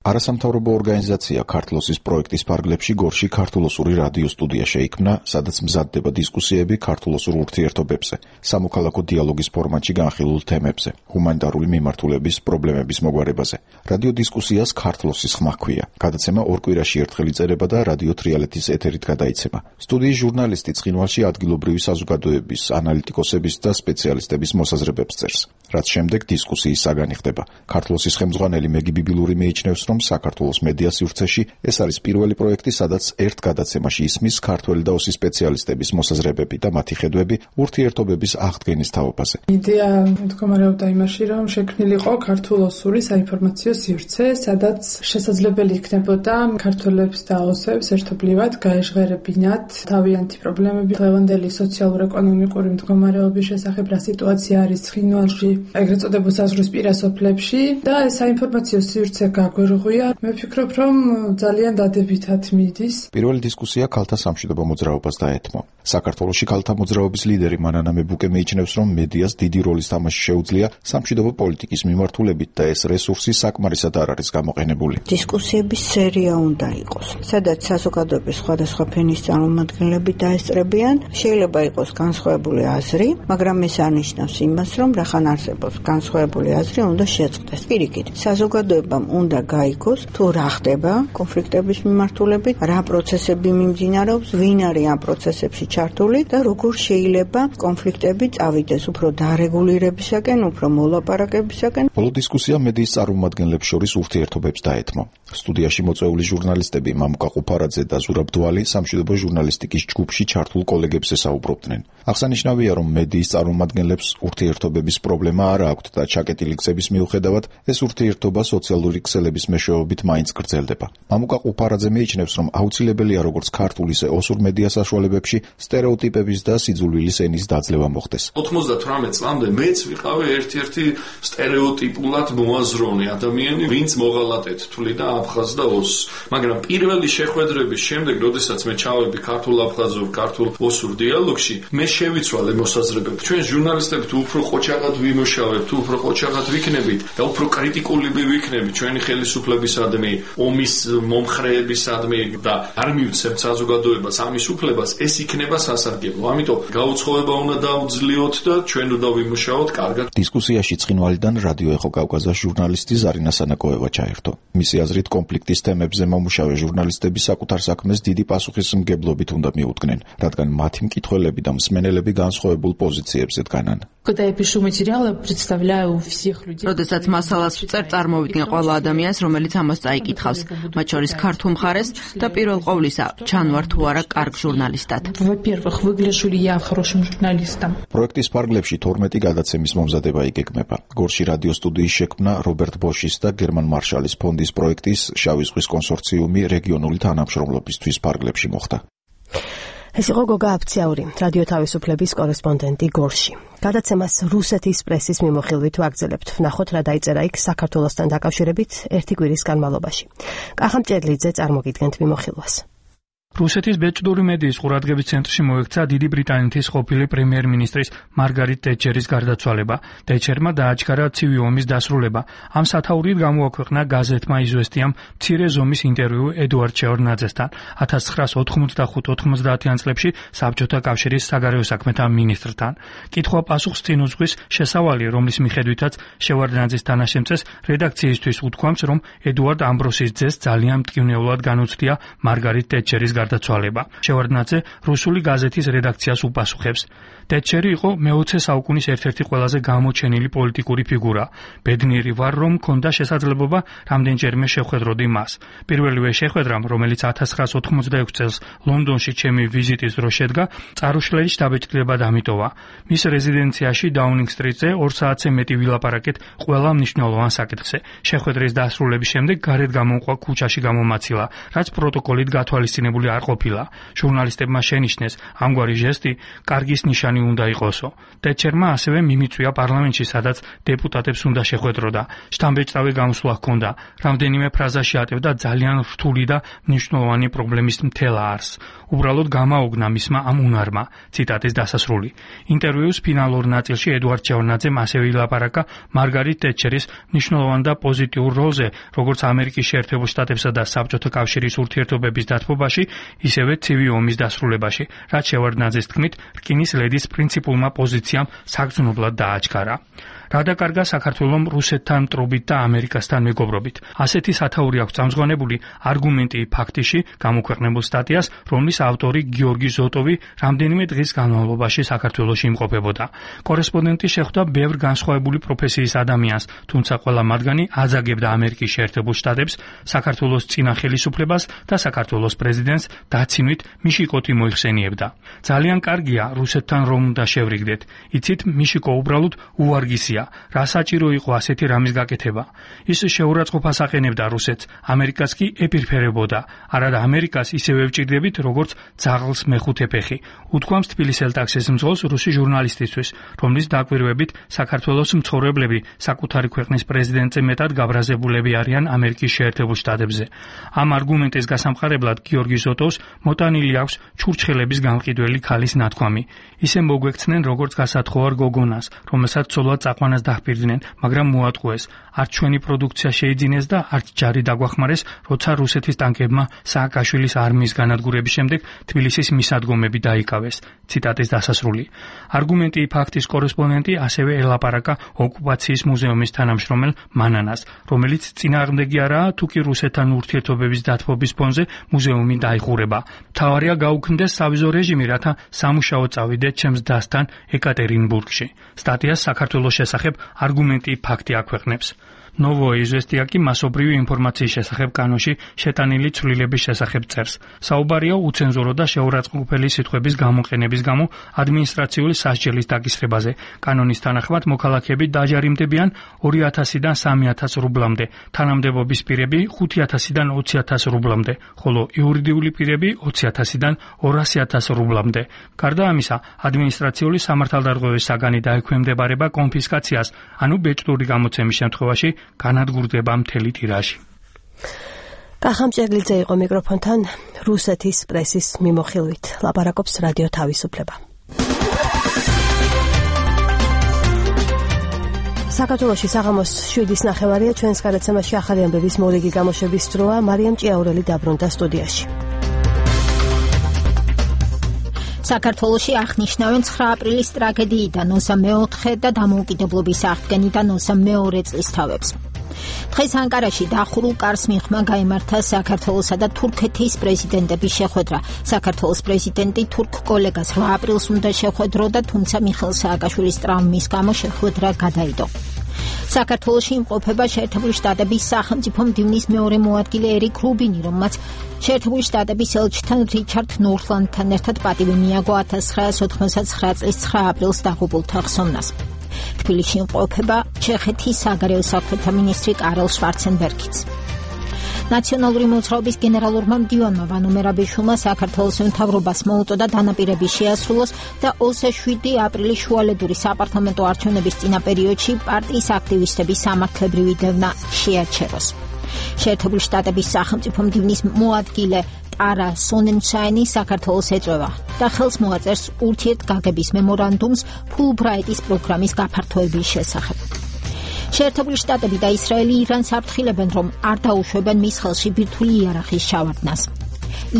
არასამთავრობო ორგანიზაცია ქართლოსის პროექტის ფარგლებში გორში ქართულოსური რადიო სტუდია შეიქმნა, სადაც მზადდება დისკუსიები ქართულოსურ ურთიერთობებზე, სამოქალაქო დიალოგის ფორმატში განხილულ თემებზე, ჰუმანიტარული მიმართულების პრობლემების მოგვარებაზე. რადიო დისკუსიას ქართლოსის ხმა ჰქვია. გადაცემა ორ კვირაში ერთხელ იწერება და რადიო თრიალეთის ეთერით გადაიცემა. სტუდიის ჟურნალისტი ცხინვალში ადგილობრივი საზოგადოების, ანალიტიკოსების და სპეციალისტების მოსაზრებებს წერს, რაც შემდეგ დისკუსიის საგანი ხდება. ქართლოსის ხელმძღვანელი მეგი ბიბილური მიიჩნევს, რომ საქართველოს მედია სივრცეში ეს არის პირველი პროექტი, სადაც ერთ გადაცემაში ისმის ქართველი და ოსი სპეციალისტების მოსაზრებები და მათი ხედვები ურთიერთობების აღდგენის თაობაზე. იდეა მდგომარეობდა იმაში, რომ შექმნილიყო ქართულ-ოსური საინფორმაციო სივრცე, სადაც შესაძლებელი იქნებოდა ქართველებს და ოსებს ერთობლივად გაეჟღერებინათ თავიანთი პრობლემები, დღევანდელი სოციალურ-ეკონომიკური მდგომარეობის შესახებ, რა სიტუაცია არის ცხინვალში, ეგრეთ წოდებულ საზღვრის პირას ოფლებში და ეს საინფორმაციო სივრცე გაგვერუღებოდა მიღუია. მე ვფიქრობ, რომ ძალიან დადებითად მიდის. პირველი დისკუსია ქალთა სამშვიდობო მოძრაობას დაეთმო. საქართველოში ქალთა მოძრაობის ლიდერი მანანა მებუკე მიიჩნევს, რომ მედიას დიდი როლის თამაში შეუძლია სამშვიდობო პოლიტიკის მიმართულებით და ეს რესურსი საკმარისად არ არის გამოყენებული. დისკუსიების სერია უნდა იყოს, სადაც საზოგადოების სხვადასხვა ფენის წარმომადგენლები დაესწრებიან. შეიძლება იყოს განსხვავებული აზრი, მაგრამ ეს არნიშნავს იმას, რომ რახან არსებობს განსხვავებული აზრი უნდა შეწყდეს. პირიქით, საზოგადოებამ უნდა გაიგოს, თუ რა ხდება კონფლიქტების მიმართულებით, რა პროცესები მიმდინარეობს, ვინ არის ამ პროცესებში ჩართული და როგორ შეიძლება კონფლიქტები წავიდეს უფრო დარეგულირებისაკენ, უფრო მოლაპარაკებისაკენ. ბოლო დისკუსია მედიის წარმომადგენლებს შორის ურთიერთობებს დაეთმო. სტუდიაში მოწვეული ჟურნალისტები მამუკა ყუფარაძე და ზურაბ დვალი სამშვიდობო ჟურნალისტიკის ჯგუფში ჩართულ კოლეგებს ესაუბრობდნენ. აღსანიშნავია, რომ მედიის წარმომადგენლებს ურთიერთობების პრობლემა არ აქვთ და ჩაკეტილი გზების მიუხედავად ეს ურთიერთობა სოციალური ქსელების მეშვეობით მაინც გრძელდება. მამუკა ყუფარაძე მიიჩნევს, რომ აუცილებელია როგორც ქართულ ისე ოსურ მედია საშუალებებში სტერეოტიპების და სიძულვილის ენის დაძლევა მოხდეს. ოცდათვრამეტ წლამდე მეც ვიყავი ერთ-ერთი სტერეოტიპულად მოაზროვნე ადამიანი, ვინც მოღალატეთ თვლიდა აფხაზ და ოსს. მაგრამ პირველი შეხვედრების შემდეგ, როდესაც მე ჩავედი ქართულ-აფხაზურ, ქართულ-ოსურ დიალოგში, მე შევიცვალე მოსაზრებები. ჩვენ ჟურნალისტები თუ უფრო ყოჩაღად ვიმუშავებთ, თუ უფრო ყოჩაღად ვიქნებით და უფრო კრიტიკული ვიქნებით ჩვენი ხელისუფლებისადმი, ომის მომხრეებისადმი და არ მივცემთ საზოგადოებას ამის უფლებას, ეს იქნება სასარგებლო. ამიტომ გაუცხოება უნდა დაუძლიოთ და ჩვენ უნდა ვიმუშაოთ კარგად. დისკუსიაში ცხინვალიდან რადიო ეხო კავკასიის ჟურნალისტი ზარინა სანაკოევა ჩაერთო. მისი აზრით, კონფლიქტის თემებზე მომუშავე ჟურნალისტები საკუთარ საქმეს დიდი პასუხისმგებლობით უნდა მიუდგნენ, რადგან მათი მკითხველები და მსმენელები განსხვავებულ პოზიციებზე დგანან. Когда я пишу материалы, представляю всех людей. როდესაც მასალას ვწერ, წარმოვიდგენ ყველა ადამიანს, რომელიც ამას წაიკითხავს, მათ შორის ქართულ მხარეს და პირველ ყოვლისა, ჩანვარ თუ არა კარგ ჟურნალისტად. Во-первых, выгляжу ли я хорошим журналистом? პროექტის ფარგლებში თორმეტი გადაცემის მომზადება იგეგმება. გორში რადიო სტუდიის შექმნა რობერტ ბოშის და გერმან მარშალის ფონდის პროექტის შავი ზღვის კონსორციუმი რეგიონული თანამშრომლობისთვის ფარგლებში მოხდა. ეს იყო გოგა აფციაური, რადიო თავისუფლების კორესპონდენტი გორში. გადაცემას რუსეთის პრესის მიმოხილვით ვაგრძელებთ. ვნახოთ რა დაიწერა იქ საქართველოსთან დაკავშირებით ერთი კვირის განმავლობაში. კახამ ჭედლიძე წარმოგიდგენთ მიმოხილვას. რუსეთის ბეჭდური მედიის ყურადღების ცენტრში მოექცა დიდი ბრიტანეთის ყოფილი პრემიერ-მინისტრის მარგარიტ ტეტჩერის გარდაცვალება. ტეტჩერმა დააჩქარა ცივი ომის დასრულება. ამ სათაურით გამოაქვეყნა გაზეთმა იზვესტიამ მცირე ზომის ინტერვიუ ედუარდ შევარდნაძესთან. ათას ცხრაას ოთხმოცდახუთ ოთხმოცდაათიან წლებში საბჭოთა კავშირის საგარეო საქმეთა მინისტრთან. კითხვა-პასუხს წინ უძღვის შესავალი, რომლის მიხედვითაც შევარდნაძის თანაშემწეს რედაქციისთვის უთქვამს, რომ ედუარდ ამბროსის ძეს ძალიან მტკივნეულად განუცდია მარგარიტ ტეტჩერის გარდაცვალება. შევარდნაძე რუსული გაზეთის რედაქციას უპასუხებს. ტეტჩერი იყო მეოცე საუკუნის ერთ-ერთი ყველაზე გამოჩენილი პოლიტიკური ფიგურა. ბედნიერი ვარ, რომ მქონდა შესაძლებლობა რამდენჯერმე შეხვედროდი მას. პირველივე შეხვედრამ, რომელიც ათას ცხრაას ოთხმოცდაექვსი წელს ლონდონში ჩემი ვიზიტის დროს შედგა, წარუშლელი შთაბეჭდილება დამიტოვა. მის რეზიდენციაში დაუნინგ სტრიტზე ორ საათზე მეტი ვილაპარაკეთ ყველა მნიშვნელოვან საკითხზე. შეხვედრის დასრულების შემდეგ გარეთ გამომყვა ქუჩაში გამომაცილა, რაც პროტოკოლით გათვალისწინებული არ ყოფილა. ჟურნალისტებმა შენიშნეს, ამგვარი ჟესტი კარგის ნიშანი უნდა იყოსო. ტეტჩერმა ასევე მიმიწვია პარლამენტში, სადაც დეპუტატებს უნდა შეხვედროდა. შთამბეჭდავი გამოსვლა ჰქონდა. რამდენიმე ფრაზაში ატევდა ძალიან რთული და მნიშვნელოვანი პრობლემის მთელ არსს. უბრალოდ გამაოგნა მისმა ამ უნარმა. ციტატის დასასრული. ინტერვიუს ფინალურ ნაწილში ედუარდ შევარდნაძემ ასევე ილაპარაკა მარგარიტ ტეტჩერის მნიშვნელოვან და პოზიტიურ როლზე, როგორც ამერიკის შეერთებულ შტატებსა და საბჭოთა კავშირის ურთიერთობების დათბობაში, ისევე ცივი ომის დასრულებაში, რაც შევარდნაძეს თქმით, რკინის ლედის პრინციპულმა პოზიციამ საგრძნობლად დააჩქარა. რა დაკარგა საქართველომ რუსეთთან მტრობით და ამერიკასთან მეგობრობით. ასეთი სათაური აქვს წამზღვანებული არგუმენტი ფაქტიში გამოქვეყნებულ სტატიას, რომლის ავტორი გიორგი ზოტოვი რამდენიმე დღის განმავლობაში საქართველოში იმყოფებოდა. კორესპონდენტი შეხვდა ბევრ განსხვავებული პროფესიის ადამიანს, თუმცა ყველა მათგანი აძაგებდა ამერიკის შეერთებულ შტატებს, საქართველოს წინა ხელისუფლებას და საქართველოს პრეზიდენტს დაცინვით მიშიკოთი მოიხსენიებდა. ძალიან კარგია რუსეთთან რომ უნდა შევრიგდეთ. იცით, მიშიკო უბრალოდ უვარგისია. გასაგებია, რა საჭირო იყო ასეთი რამის გაკეთება. ის შეურაცხყოფას აყენებდა რუსეთს, ამერიკას კი ეპირფერებოდა. არადა ამერიკას ისევე ვჭირდებით, როგორც ძაღლს მეხუთე ფეხი. უთქვამს თბილისის ელტაქსის მძღოლს რუსი ჟურნალისტისთვის, რომლის დაკვირვებით საქართველოს მცხოვრებლები საკუთარი ქვეყნის პრეზიდენტზე მეტად გაბრაზებულები არიან ამერიკის შეერთებულ შტატებზე. ამ არგუმენტის გასამყარებლად გიორგი ზოტოვს მოტანილი აქვს ჩურჩხელების გამყიდველი ქალის ნათქვამი. ისე მოგვექცნენ როგორც გასათხოვარ გოგონას, რომელსაც ცოლად წაყვანას დაჰპირდნენ, მაგრამ მოატყუეს. არც ჩვენი პროდუქცია შეიძინეს და არც ჯარი დაგვახმარეს, როცა რუსეთის ტანკებმა სააკაშვილის არმიის განადგურების შემდეგ თბილისის მისადგომები დაიკავეს. ციტატის დასასრული. არგუმენტი ფაქტის კორესპონდენტი ასევე ელაპარაკა ოკუპაციის მუზეუმის თანამშრომელ მანანას, რომელიც წინააღმდეგი არაა, თუ კი რუსეთთან ურთიერთობების დათბობის ფონზე მუზეუმი დაიხურება. მთავარია გაუქმდეს სავიზო რეჟიმი, რათა სამუშაო წავიდეთ ჩემს დასთან ეკატერინბურგში. სტატიას საქართველოს შესახებ არგუმენტი ფაქტი აქვეყნებს. Novoe Izvestia კი მასობრივი ინფორმაციის შესახებ კანონში შეტანილი ცვლილების შესახებ წერს. საუბარია უცენზურო და შეურაცხმყოფელი სიტყვების გამოყენების გამო ადმინისტრაციული სასჯელის დაკისრებაზე. კანონის თანახმად მოქალაქეები დაჯარიმდებიან ორი ათასიდან სამი ათას რუბლამდე, თანამდებობის პირები ხუთი ათასიდან ოცი ათას რუბლამდე, ხოლო იურიდიული პირები ოცი ათასიდან ორასი ათას რუბლამდე. გარდა ამისა, ადმინისტრაციული სამართალდარღვევის საგანი დაექვემდებარება კონფისკაციას, ანუ ბეჭდური გამოცემის შემთხვევაში განადგურდება მთელი ტირაჟი. კახამ ჭერლიძე იყო მიკროფონთან რუსეთის პრესის მიმოხილვით. ლაპარაკობს რადიო თავისუფლება. საქართველოში საღამოს შვიდის ნახევარია, ჩვენს გადაცემაში ახალი ამბების მორიგი გამოშვების დროა. მარიამ ჭიაურელი დაბრუნდა სტუდიაში. საქართველოში აღნიშნავენ ცხრა აპრილის ტრაგედიიდან ოსა მეოთხე და დამოუკიდებლობის აღდგენიდან ოსა მეორე წლისთავებს. დღეს ანკარაში დახურულ კარს მიღმა გაიმართა საქართველოსა და თურქეთის პრეზიდენტების შეხვედრა. საქართველოს პრეზიდენტი თურქ კოლეგას რვა აპრილს უნდა შეხვედროდა, თუმცა მიხეილ სააკაშვილის ტრავმის გამო შეხვედრა გადაიდო. საქართველოში იმყოფება შეერთებული შტატების სახელმწიფო მდივნის მეორე მოადგილე ერიკ რუბინი, რომელმაც შეერთებული შტატების ელჩთან რიჩარდ ნორლანდთან ერთად პატივი მიაგო ათას ცხრაას ოთხმოცდათცხრა წლის ცხრა აპრილს დაღუპულთა ხსოვნას. თბილისში იმყოფება ჩეხეთის საგარეო საქმეთა მინისტრი კარლ შვარცენბერგიც. ნაციონალური მოძრაობის გენერალურმა მდივანმა ვანო მერაბიშვილმა საქართველოს მთავრობას მოუწოდა დანაპირების შეასრულოს და ოცდაშვიდი შვიდი აპრილის შუალედური საპარლამენტო არჩევნების წინა პერიოდში პარტიის აქტივისტების სამართლებრივი დევნა შეაჩეროს. შეერთებული შტატების სახელმწიფო მდივნის მოადგილე ტარა სონენშაინი საქართველოს ეწევა და ხელს მოაწერს ურთიერთგაგების მემორანდუმს ფულბრაიტის პროგრამის გაფართოების შესახებ. შეერთებული შტატები და ისრაელი ირანს აფრთხილებენ, რომ არ დაუშვებენ მის ხელში ბირთვული იარაღის ჩავარდნას.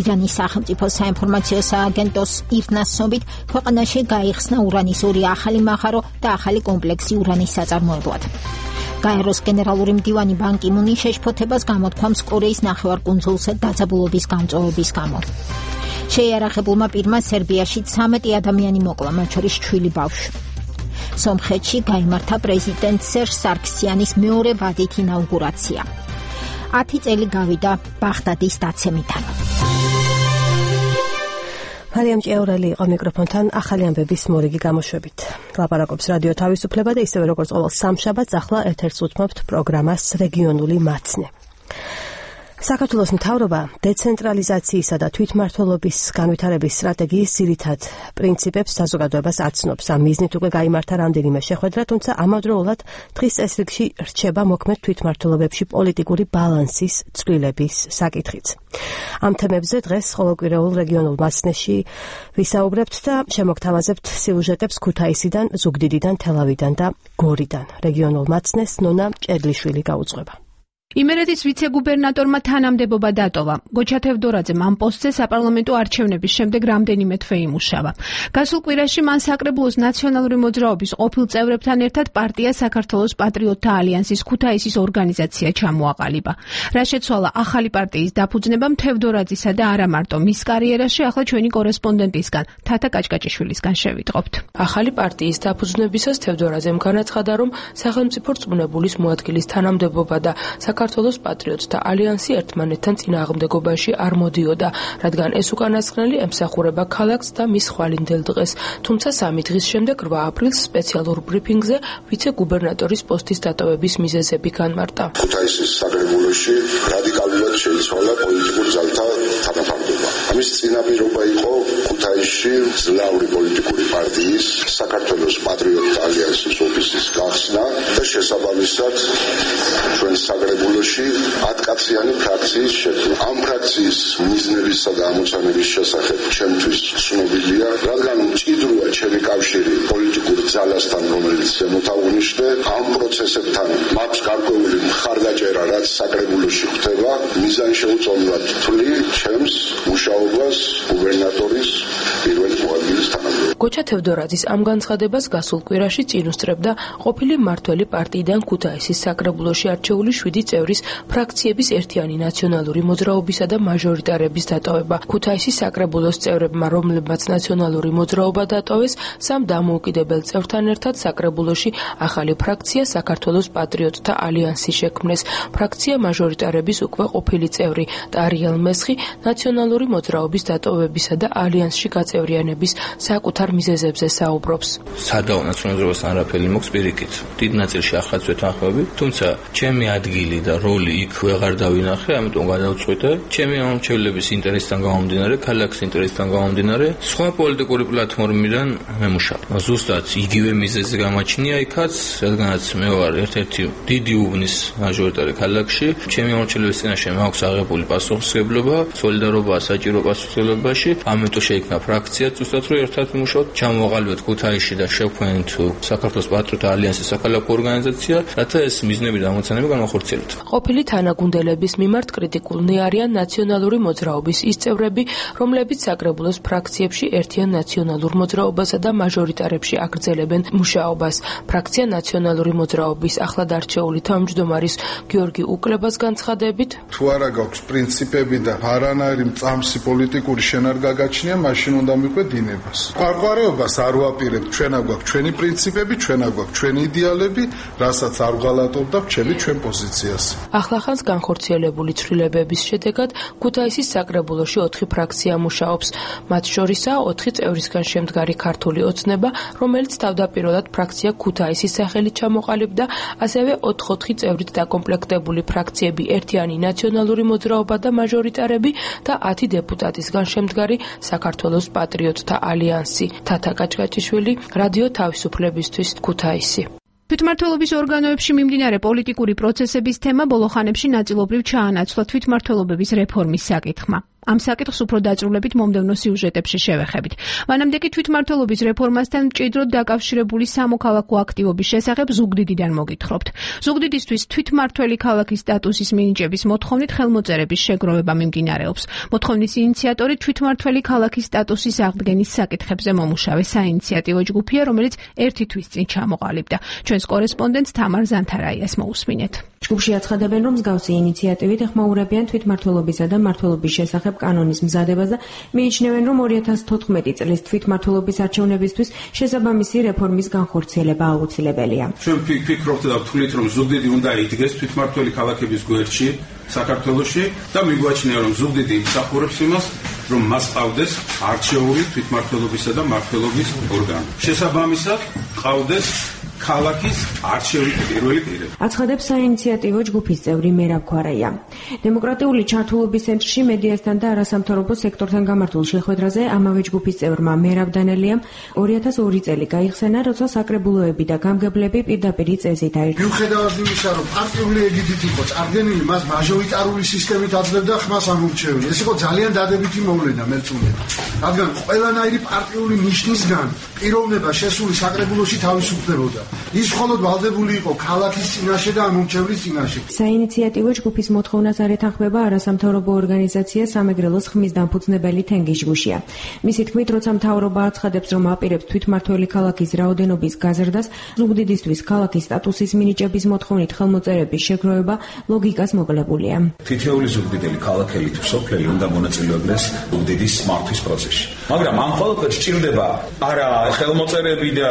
ირანის სახელმწიფო საინფორმაციო სააგენტოს ირნას ცნობით, ქვეყანაში გაიხსნა ურანის ორი ახალი მაღარო და ახალი კომპლექსი ურანის საწარმოებლად. გაეროს გენერალური მდივანი ბან კი მუნი შეშფოთებას გამოთქვამს კორეის ნახევარკუნძულზე დაძაბულობის გამწვავების გამო. შეიარაღებულმა პირმა სერბიაში ცამეტი ადამიანი მოკლა, მათ შორის ჩვილი ბავშვი. სომხეთში გაიმართა პრეზიდენტ სერჟ სარქსიანის მეორე ვადით ინაუგურაცია. ათი წელი გავიდა ბაღდადის დაცემიდან. მარიამ ჭიაურელი იყო მიკროფონთან ახალი ამბების მორიგი გამოშვებით. ლაპარაკობს რადიო თავისუფლება და ისევე როგორც ყოველ სამშაბათს ახლა ეთერს უთმობთ პროგრამას რეგიონული მაცნე. საქართველოს მთავრობა დეცენტრალიზაციისა და თვითმმართველობის განვითარების სტრატეგიის ძირითად პრინციპებს საზოგადოებას აცნობს. ამ მიზნით უკვე გაიმართა რამდენიმე შეხვედრა, თუმცა ამავდროულად დღის წესრიგში რჩება მოქმედ თვითმმართველობებში პოლიტიკური ბალანსის ცვლილების საკითხიც. ამ თემებზე დღეს ყოველკვირეულ რეგიონულ მაცნეში ვისაუბრებთ და შემოგთავაზებთ სიუჟეტებს ქუთაისიდან, ზუგდიდიდან, თელავიდან და გორიდან. რეგიონულ მაცნეს ნონა ჭედლიშვილი გაუძღვება. იმერეთის ვიცე-გუბერნატორმა თანამდებობა დატოვა. გოჩა თევდორაძემ ამ პოსტზე საპარლამენტო არჩევნების შემდეგ რამდენიმე თვე იმუშავა. გასულ კვირაში მან საკრებულოს ნაციონალური მოძრაობის ყოფილ წევრებთან ერთად პარტია საქართველოს პატრიოტთა ალიანსის ქუთაისის ორგანიზაცია ჩამოაყალიბა. რა შეცვალა ახალი პარტიის დაფუძნებამ თევდორაძისა და არა მარტო მის კარიერაში, ახლა ჩვენი კორესპონდენტისგან თათა კაჭკაჭიშვილისგან შევიტყობთ. ახალი პარტიის დაფუძნებისას თევდორაძემ განაცხადა, რომ სახელმწიფო რწმუნებულის მოადგილის თანამდებობა და საქართველოს პატრიოტთა ალიანსი ერთმანეთთან წინააღმდეგობაში არ მოდიოდა, რადგან ეს უკანასკნელი ემსახურება ქალაქს და მის ხვალინდელ დღეს. თუმცა სამი დღის შემდეგ რვა აპრილს სპეციალურ ბრიფინგზე ვიცე-გუბერნატორის პოსტის დატოვების მიზეზები განმარტა. ქუთაისის საკრებულოში რადიკალურად შეიცვალა პოლიტიკური ძალთა თანაფარდობა. ამის წინაპირობა იყო ქუთაისში ძლავრი პოლიტიკური პარტიის საქართველოს პატრიოტთა ალიანსის ოფისის გახსნა და შესაბამისად ჩვენ საკრებულოში ათკაციანი ფრაქციის შექმნა. ამ ფრაქციის მიზნებისა და ამოცანების შესახებ ჩემთვის ცნობილია, რადგან მჭიდროა ჩემი კავშირი პოლიტიკურ ძალასთან, რომელიც შემოთავღნიშნე ამ პროცესებთან მაქვს გარკვეული მხარდაჭერა, რაც საკრებულოში ხდება, მიზანშეუწონებლად თვლი ჩემს მუშაობას გუბერნატორის პირველ მოადგილის თანამდებობაზე. გოჩა თევდორაძის ამ განცხადებას გასულ კვირაში წინ უსწრებდა ყოფილი მმართველი პარტიიდან ქუთაისის საკრებულოში არჩეული შვიდი წევრის ფრაქციების ერთიანი ნაციონალური მოძრაობისა და მაჟორიტარების დატოვება. ქუთაისის საკრებულოს წევრებმა, რომლებმაც ნაციონალური მოძრაობა დატოვეს, სამ დამოუკიდებელ წევრთან ერთად საკრებულოში ახალი ფრაქცია საქართველოს პატრიოტთა ალიანსი შექმნეს. ფრაქცია მაჟორიტარების უკვე ყოფილი წევრი ტარიელ მესხი ნაციონალური მოძრაობის დატოვებისა და ალიანსში გაწევრიანების საკუთარ მიზეზებზე საუბრობს. სადაო ნაციონალურობას არაფერი მოქვს პირიქით. დიდ ნაწილში ახლაც ვეთანხმები, თუმცა ჩემი ადგილი და როლი იქ ვეღარ დავინახე, ამიტომ გადავწყვიტე ჩემი ამომრჩევლების ინტერესთან გამომდინარე, ქალაქის ინტერესთან გამომდინარე, სხვა პოლიტიკური პლატფორმიდან მემუშავე. ზუსტად იგივე მიზეზი გამაჩნია იქაც, რადგანაც მე ვარ ერთ-ერთი დიდი უბნის მაჟორიტარი ქალაქში, ჩემი ამომრჩევლების წინაშე მაქვს აღებული პასუხისმგებლობა, სოლიდარობა საჭირო პასუხისმგებლობაში, ამიტომ შეიქმნა ფრაქცია, ზუსტად რომ ერთად ვიმუშაოთ, ჩამოვაყალიბოთ ქუთაისში და შევქმნით საქართველოს პატრიოტთა ალიანსის საქალაქო ორგანიზაცია, რათა ეს მიზნები და ამოცანები განახორციელოთ. ყოფილი თანაგუნდელების მიმართ კრიტიკულნი არიან ნაციონალური მოძრაობის ის წევრები, რომლებიც საკრებულოს ფრაქციებში ერთიან ნაციონალურ მოძრაობასა და მაჟორიტარებში აგრძელებენ მუშაობას. ფრაქცია ნაციონალური მოძრაობის ახლად არჩეული თავმჯდომარის გიორგი უკლებას განცხადებით, თუ არა გაქვს პრინციპები და არანაირი მწამსი პოლიტიკური შენარგაგაჩნია, მაშინ უნდა მიყვეთ დინებას. ყვარყვარეობას არ ვაპირებთ, ჩვენ აგვაქვს ჩვენი პრინციპები, ჩვენ აგვაქვს ჩვენი იდეალები, რასაც არ ვღალატობ და ვჩები ჩვენ პოზიციას. ახლახანს განხორციელებული ცვლილებების შედეგად ქუთაისის საკრებულოში ოთხი ფრაქცია მუშაობს. მათ შორისაა ოთხი წევრისგან შემდგარი ქართული ოცნება, რომელიც თავდაპირველად ფრაქცია ქუთაისის სახელით ჩამოყალიბდა, ასევე ოთხ-ოთხი წევრით დაკომპლექტებული ფრაქციები ერთიანი ნაციონალური მოძრაობა და მაჟორიტარები და ათი დეპუტატისგან შემდგარი საქართველოს პატრიოტთა ალიანსი. თათა კაჭკაჭიშვილი, რადიო თავისუფლებისთვის, ქუთაისი. თვითმმართველობის ორგანოებში მიმდინარე პოლიტიკური პროცესების თემა ბოლო ხანებში ნაწილობრივ ჩაანაცვლა თვითმმართველობების რეფორმის საკითხმა. ამ საკითხს უფრო დაწვრილებით მომდევნო სიუჟეტებში შევეხებით. მანამდე კი თვითმმართველობის რეფორმასთან მჭიდროდ დაკავშირებული სამოქალაქო აქტივობის შესახებ ზუგდიდიდან მოგითხრობთ. ზუგდიდისთვის თვითმმართველი ქალაქის სტატუსის მინიჭების მოთხოვნით ხელმოწერების შეგროვება მიმდინარეობს. მოთხოვნის ინიციატორი თვითმმართველი ქალაქის სტატუსის აღდგენის საკითხებზე მომუშავე საინიციატივო ჯგუფია, რომელიც ერთი თვის წინ ჩამოყალიბდა. ჩვენს კორესპონდენტს თამარ ზანთარაიას მოусმინეთ. ჯგუფში აცხადებენ, რომ მსგავსი ინიციატივით ეხმაურებიან თვითმმართველობისა და მმართველობის შესახებ კანონის მზადებას და მიიჩნევენ, რომ ორი ათას თოთხმეტი წლის თვითმმართველობის არჩევნებისთვის შესაბამისი რეფორმის განხორციელება აუცილებელია. ჩვენ ვფიქრობთ და ვთვლით, რომ ზუგდიდი უნდა იდგეს თვითმმართველი ქალაქების გვერდში საქართველოში და მიგვაჩნია, რომ ზუგდიდი იმსახურებს იმას, რომ მას ყავდეს არჩეული თვითმმართველობისა და მმართველობის ორგანო. შესაბამისად ყავდეს ქალაქის არჩეული პირველი პირები. აცხადებს საინიციატივო ჯგუფის წევრი მერაბ ქვარაია. დემოკრატიული ჩართულობის ცენტრში მედიასთან და არასამთავრობო სექტორთან გამართულ შეხვედრაზე ამავე ჯგუფის წევრმა მერაბ დანელიამ ორი ათას ორი წელი გაიხსენა, როცა საკრებულოები და გამგებლები პირდაპირი წესით აირჩიეს. მიუხედავად იმისა, რომ პარტიული ეგიდით იყო წარდგენილი, მას მაჟორიტარული სისტემით აძლევდა ხმას ამორჩეველი. ეს იყო ძალიან დადებითი მოვლენა მერწმუნეთა. რადგან ყველანაირი პარტიული ნიშნისგან პიროვნება შესული საკრებულოში თავისუფლებოდა. ის მხოლოდ ვალდებული იყო ქალაქის წინაშე და ამომრჩევლის წინაშე. საინიციატივო ჯგუფის მოთხოვნას არ ეთანხმება არასამთავრობო ორგანიზაცია სამეგრელოს ხმის დამფუძნებელი თენგიჟგუშია. მისი თქმით, როცა მთავრობა აცხადებს, რომ აპირებს თვითმმართველი ქალაქის რაოდენობის გაზრდას, ზუგდიდისთვის ქალაქის სტატუსის მინიჭების მოთხოვნით ხელმოწერების შეგროვება ლოგიკას მოკლებულია. თითოეული ზუგდიდელი ქალაქელი თუ სოფლელი უნდა მონაწილეობდეს ზუგდიდის მართვის პროცესში. მაგრამ ამ ყველაფერს სჭირდება არა ხელმოწერები და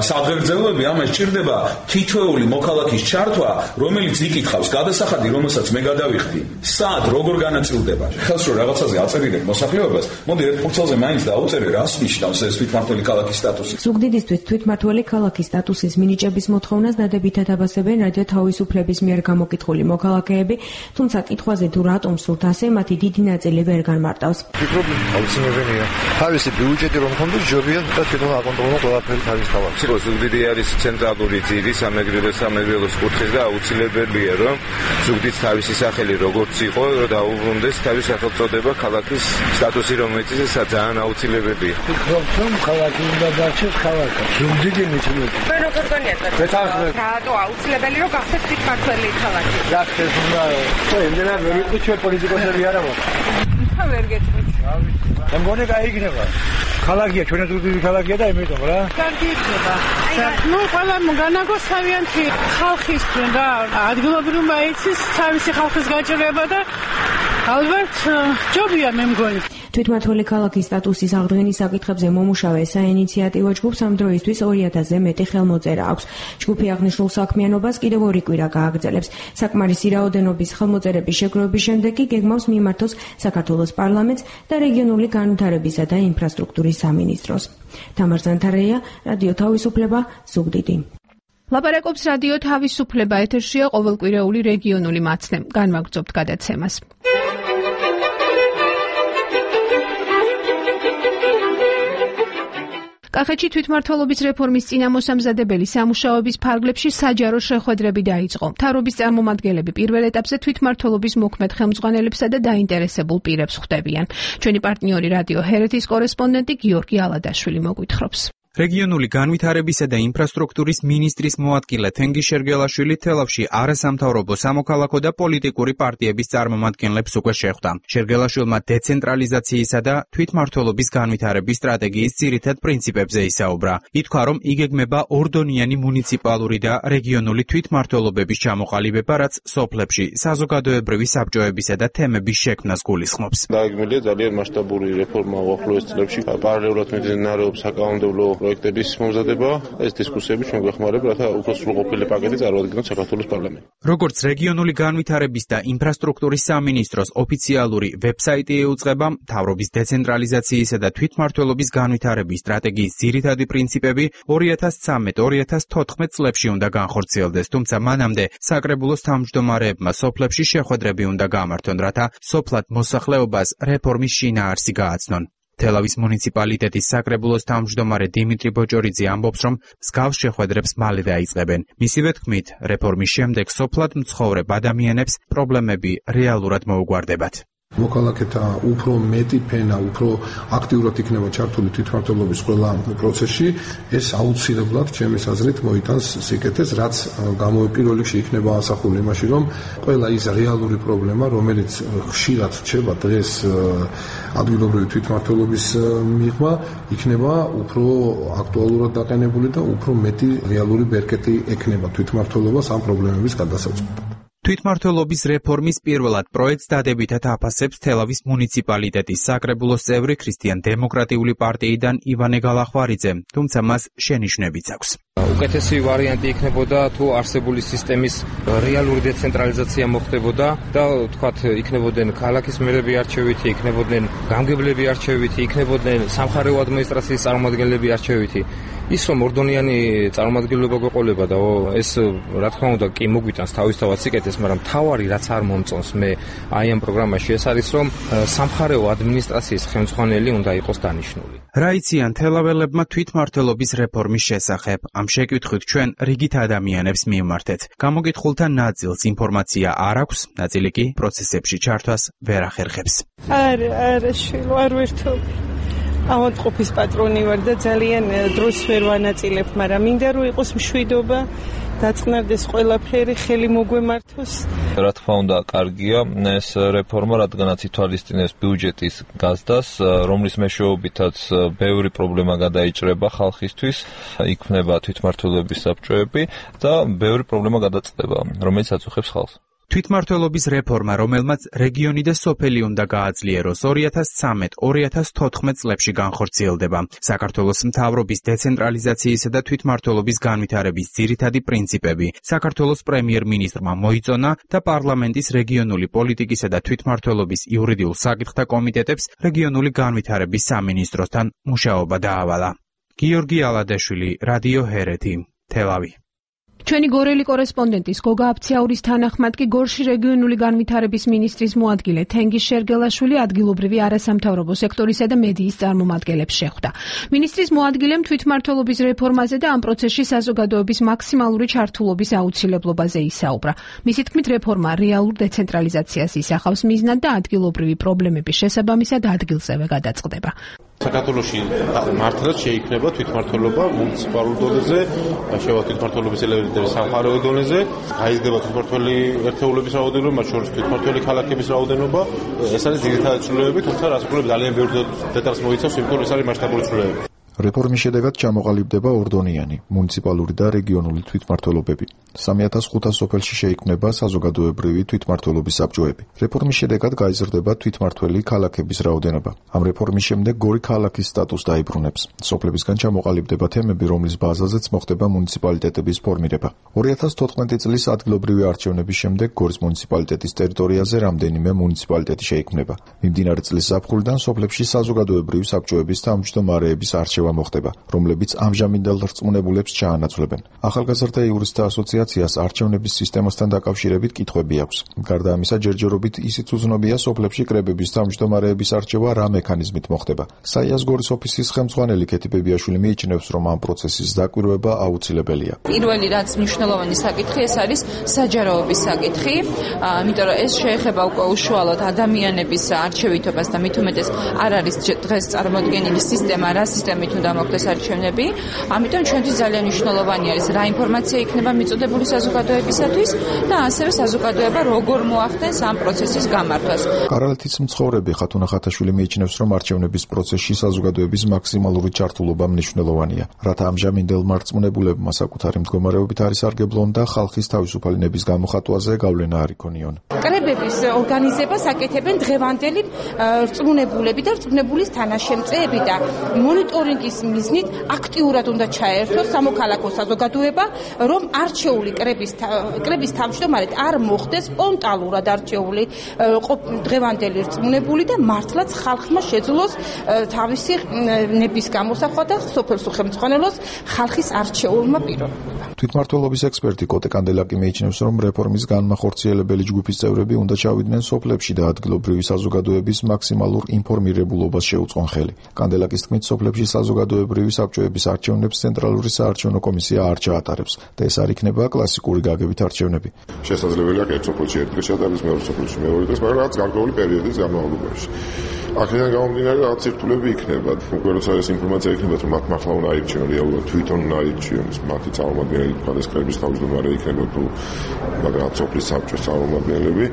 სადღეგრძელოები, ამას ჭირდება თითოეული მოქალაქის ჩართვა, რომელიც იკითხავს გადასახადი, რომელსაც მე გადავიხდი. სად როგორ განაწილდება? ხელს რო რაღაცაზე აწერილებ მოსახლეობას, მოდი ერთ ფურცელზე მაინც დაუწერე, რას ნიშნავს ეს თვითმმართველი ქალაქის სტატუსი. ზუგდიდისთვის თვითმმართველი ქალაქის სტატუსის მინიჭების მოთხოვნას დადებითად აბასებენ რადიო თავისუფლების მიერ გამოკითხული მოქალაქეები, თუმცა კითხვაზე თუ რატომ სურთ ასე, მათი დიდი ნაწილი ვერ განმარტავს. ფიქრობ, აუცილებელია. თავისი ბიუჯეტი რომ ქონდეს, ჯობია და თვითონ აკონტროლო ყველაფერი თავის თავად. სიტყვა ზუგდიდი არის ცენტრალური ძირი სამეგრელოს სამეგრელოს კუთხის და აუცილებელია რომ ზუგდიდს თავისი სახელი როგორც იყო, დაუბრუნდეს თავის სახელწოდება ქალაქის სტატუსი, რომელიც ძალიან აუცილებელია. ფიქრობ, რომ ქალაქი უნდა დარჩეს ქალაქი. ზუგდიდი მიცნობია. მე როგორ განიათებთ? რატო აუცილებელი რომ გახდეს თვითმმართველი ქალაქი? გახდეს უნდა. ხო, იმენა ვერ ვიყო ჩვენ პოლიტიკოსები არა ვარ. ხა ვერ გეტყვით. მე მგონი გაიგნება. ქალაქია, ჩვენ ზუგდიდი ქალაქია და იმიტომ რა. კარგი იქნება. ნუ ყველა განაგოს თავიანთი ხალხისთვის რა, ადგილობრივმა იცის თავისი ხალხის გაჭირება და ალბათ ჯობია მე მგონი. თვითმმართველი ქალაქის სტატუსის აღდგენის საკითხებზე მომუშავე საინიციატივო ჯგუფს ამ დროისთვის ორი ათასზე მეტი ხელმოწერა აქვს. ჯგუფი აღნიშნულ საქმიანობას კიდევ ორი კვირა გააგრძელებს. საკმარისი რაოდენობის ხელმოწერების შეგროვების შემდეგ კი გეგმავს მიმართოს საქართველოს პარლამენტს და რეგიონული განვითარებისა და ინფრასტრუქტურის სამინისტროს. თამარ ზანთარაია, რადიო თავისუფლება, ზუგდიდი. ლაპარაკობს რადიო თავისუფლება, ეთერშია ყოველკვირეული რეგიონული მაცნე. განვაგრძობთ გადაცემას. კახეთში თვითმმართველობის რეფორმის წინამოსამზადებელი სამუშაოების ფარგლებში საჯარო შეხვედრები დაიწყო. მთავრობის წარმომადგენლები პირველ ეტაპზე თვითმმართველობის მოქმედ ხელმძღვანელებსა და დაინტერესებულ პირებს ხვდებიან. ჩვენი პარტნიორი რადიო ჰერეთის კორესპონდენტი გიორგი ალადაშვილი მოგვითხრობს. რეგიონული განვითარებისა და ინფრასტრუქტურის მინისტრის მოადგილე თენგიზ შერგელაშვილი თელავში არასამთავრობო სამოქალაქო და პოლიტიკური პარტიების წარმომადგენლებს უკვე შეხვდა. შერგელაშვილმა დეცენტრალიზაციისა და თვითმმართველობის განვითარების სტრატეგიის ძირითად პრინციპებზე ისაუბრა. ითქვა, რომ იგეგმება ორდონიანი მუნიციპალური და რეგიონული თვითმმართველობების ჩამოყალიბება, რაც სოფლებში საზოგადოებრივი საბჭოებისა და თემების შექმნას გულისხმობს. დაიგმილია ძალიან მასშტაბური რეფორმა უახლოეს წლებში, პარალელურად მიმდინარეობს საკანონმდებლო პროექტების მომზადება, ეს დისკუსიები ჩვენ გვეხმარება, რათა უფრო სრულყოფილი პაკეტი წარმოადგინოთ საქართველოს პარლამენტში. როგორც რეგიონული განვითარების და ინფრასტრუქტურის სამინისტროს ოფიციალური ვებსაიტი ეუწყება, მთავრობის დეცენტრალიზაციისა და თვითმმართველობის განვითარების სტრატეგიის ძირითადი პრინციპები ორი ათას ცხრამეტ ორი ათას თოთხმეტ წლებში უნდა განხორციელდეს, თუმცა მანამდე საკრებულოს თავმჯდომარეებმა სოფლებში შეხვედრები უნდა გამართონ, რათა სოფლად მოსახლეობას რეფორმის შინაარსი გააცნონ. თელავის მუნიციპალიტეტის საკრებულოს თავმჯდომარე დიმიტრი ბოჭორიძე ამბობს, რომ მსგავს შეხვედრებს მალე დაიწყებენ. მისივე თქმით, რეფორმის შემდეგ სოფლად მცხოვრებ ადამიანებს პრობლემები რეალურად მოუგვარდებათ. მოქალაქეთა უფრო მეტი ფენა, უფრო აქტიურად იქნება ჩართული თვითმმართველობის ყველა პროცესში, ეს აუცილებლად ჩემის აზრით მოიტანს სიკეთეს, რაც პირველ რიგში იქნება ასახული იმაში, რომ ყველა ის რეალური პრობლემა, რომელიც ხშირად რჩება დღეს ადგილობრივი თვითმმართველობის მიღმა, იქნება უფრო აქტუალურად დაყენებული და უფრო მეტი რეალური ბერკეტი ექნება თვითმმართველობას ამ პრობლემების გადასაჭრელად. თვითმმართველობის რეფორმის პირველად პროექტს დადებითად აფასებს თელავის მუნიციპალიტეტის საკრებულოს წევრი ქრისტიან-დემოკრატიული პარტიიდან ივანე გალახვარიძე, თუმცა მას შენიშვნებიც აქვს. უკეთესი ვარიანტი იქნებოდა თუ არსებული სისტემის რეალური დეცენტრალიზაცია მოხდებოდა და თქვათ იქნებოდნენ ქალაქის მერები არჩევითი, იქნებოდნენ გამგებლები არჩევითი, იქნებოდნენ სამხარეო ადმინისტრაციის წარმომადგენლები არჩევითი. ის რომ ორდონიანი წარმომადგენლობა გვეყოლება და ეს რა თქმა უნდა კი მოგვიტანს თავისთავად სიკეთეს, მაგრამ თავარი რაც არ მომწონს მე აი ამ პროგრამაში ეს არის რომ სამხარეო ადმინისტრაციის ხელმძღვანელი უნდა იყოს დანიშნული. რა იციან თელაველებმა თვითმმართველობის რეფორმის შესახებ? ამ შეკითხვით ჩვენ რიგით ადამიანებს მივმართეთ. გამოკითხულთა ნაწილს ინფორმაცია არ აქვს, ნაწილი კი პროცესებში ჩართვას ვერ ახერხებს. არა, არა, შვილო, არ ვერთობ. ავადმყოფის პატრონი ვარ და ძალიან დროს ვერ ვანაწილებ, მაგრამ მინდა რომ იყოს მშვიდობა, დაწყნარდეს ყველაფერი, ხელი მოგვემართოს. რა თქმა უნდა, კარგია ეს რეფორმა, რადგანაც ითვალისწინებს ბიუჯეტის გაზდას, რომლის მეშვეობითაც ბევრი პრობლემა გადაიჭრება ხალხისთვის, იქმნება თვითმმართველობის საბჭოები და ბევრი პრობლემა გადაწყდება, რომელიც აწუხებს ხალხს. თვითმმართველობის რეფორმა, რომელმაც რეგიონი და სოფელი უნდა გააძლიეროს, ორი ათას ცხრამეტ ორი ათას თოთხმეტ წლებში განხორციელდება. საქართველოს მთავრობის დეცენტრალიზაციისა და თვითმმართველობის განვითარების ძირითადი პრინციპები საქართველოს პრემიერ-მინისტრმა მოიწონა და პარლამენტის რეგიონული პოლიტიკისა და თვითმმართველობის იურიდიულ საკითხთა კომიტეტებს რეგიონული განვითარების სამინისტროსთან მუშაობა დაავალა. გიორგი ალადაშვილი, რადიო ჰერეთი, თელავი. ჩვენი გორელი კორესპონდენტის გოგა აფციაურის თანახმად კი გორში რეგიონული განვითარების მინისტრის მოადგილე თენგიზ შერგელაშვილი ადგილობრივი არასამთავრობო სექტორისა და მედიის წარმომადგენლებს შეხვდა. მინისტრის მოადგილემ თვითმმართველობის რეფორმაზე და ამ პროცესში საზოგადოების მაქსიმალური ჩართულობის აუცილებლობაზე ისაუბრა. მისი თქმით, რეფორმა რეალურ დეცენტრალიზაციას ისახავს მიზნად და ადგილობრივი პრობლემების შესაბამისად ადგილზევე გადაწყდება. საქართველოში მართლაც შეიქმნება თვითმმართველობა მუნიციპალურ დონეზე, შევა თვითმმართველობის ელემენტები სამხარეო დონეზე, გაიზრდება თვითმმართველი ერთეულების რაოდენობა, მათ შორის თვითმმართველი ქალაქების რაოდენობა. ეს არის ძირითადი ცვლილებები, თუმცა რასაკვირველია ძალიან ბევრი დეტალს მოიცავს, იმიტომ რომ ეს არის მასშტაბური ცვლილებები. რეფორმის შედეგად ჩამოყალიბდება ორდონიანი მუნიციპალური და რეგიონული თვითმმართველობები. სამი ათას ხუთას სოფელში შეიქმნება საზოგადოებრივი თვითმმართველობის საბჭოები. რეფორმის შედეგად გაიზრდება თვითმმართველი ქალაქების რაოდენობა. ამ რეფორმის შემდეგ გორი ქალაქის სტატუსს დაიბრუნებს. სოფლებისგან ჩამოყალიბდება თემები, რომლის ბაზაზეც მოხდება მუნიციპალიტეტების ფორმირება. ორი ათას თოთხმეტი წლის ადგილობრივი არჩევნების შემდეგ გორის მუნიციპალიტეტის ტერიტორიაზე რამდენიმე მუნიციპალიტეტი შეიქმნება. მიმდინარე წლის ზაფხულიდან სოფლებში საზოგადოებრივი საბჭოების თავმჯდომარეების არჩევა მოხდება, რომლებიც ამჟამინდელ რწმუნებულებს ჩაანაცვლებენ. ახალგაზრდა იურისტთა ასოციაციას არჩევნების სისტემასთან დაკავშირებით კითხვები აქვს. გარდა ამისა, ჯერჯერობით ისიც უცნობია სოფლებში კრებების თავმჯდომარეების არჩევა რა მექანიზმით მოხდება. საიას გორის ოფისის ხელმძღვანელი ქეთი ბებიაშვილი მიიჩნევს, რომ ამ პროცესის დაკვირვება აუცილებელია. პირველი რაც მნიშვნელოვანი საკითხი ეს არის საჯაროობის საკითხი, იმიტომ რომ ეს შეეხება უკვე უშუალოდ ადამიანების არჩევითობას და მით უმეტეს არ არის დღეს წარმოქმნილი სისტემა, რა სისტემით უნდა მოხდეს არჩევნები. ამიტომ ჩვენთვის ძალიან მნიშვნელოვანი არის რა ინფორმაცია იქნება მიწოდებული საზოგადოებისათვის და ასევე საზოგადოება როგორ მოახდენს ამ პროცესის გამართვას. კარალეთის მცხოვრები ხათუნა ხათაშვილი მიიჩნევს, რომ არჩევნების პროცესში საზოგადოების მაქსიმალური ჩართულობა მნიშვნელოვანია, რათა ამჟამინდელ მარწმუნებულებმა საკუთარი მდგომარეობით არის სარგებლონ და ხალხის თავისუფალნების გამოხატვაზე გავლენა არ იქონიონ. კრებების ორგანიზებას აკეთებენ დღევანდელი რწმუნებულები და რწმუნებულის თანაშემწეები და მონიტორინგის მიზნით აქტიურად უნდა ჩაერთოს სამოქალაქო საზოგადოება, რომ არჩეული კრების კრების თავმჯდომარედ არ მოხდეს სპონტანურად არჩეული დღევანდელი რწმუნებული და მართლაც ხალხმა შეძლოს თავისი ნების გამოსახვა და სოფელსო ხელმძღვანელოს ხალხის არჩეულმა პიროვნებამ. თვითმმართველობის ექსპერტი კოტე კანდელაკი მიიჩნევს, რომ რეფორმის განმახორციელებელი ჯგუფის წევრები უნდა ჩავიდნენ სოფლებში და ადგილობრივი საზოგადოების მაქსიმალურ ინფორმირებულობას შეუწყონ ხელი. კანდელაკის თქმით, სოფლებში საზოგადოებრივი საბჭოების არჩევნებს ცენტრალური საარჩევნო კომისია არ ჩაატარებს და ეს არ იქნება კლასიკური გაგებით არჩევნები. შესაძლებელია ერთ სოფელში ერთ დღეს ჩატარდეს, მეორე სოფელში მეორე დღეს, მაგრამ რაც გარკვეული პერიოდის განმავლობაში. აქედან გამომდინარე რაღაც ცირთულები იქნება. უკვე როცა ეს ინფორმაცია იქნება, რომ მათ მართლა უნდა აირჩიონ, რეალურად თვითონ უნდა აირჩიონ მათი წარმომადგენელი, თქვა კრების თავმჯდომარე იქნება თუ მაგრამ სოფლის საბჭოს წარმომადგენლები.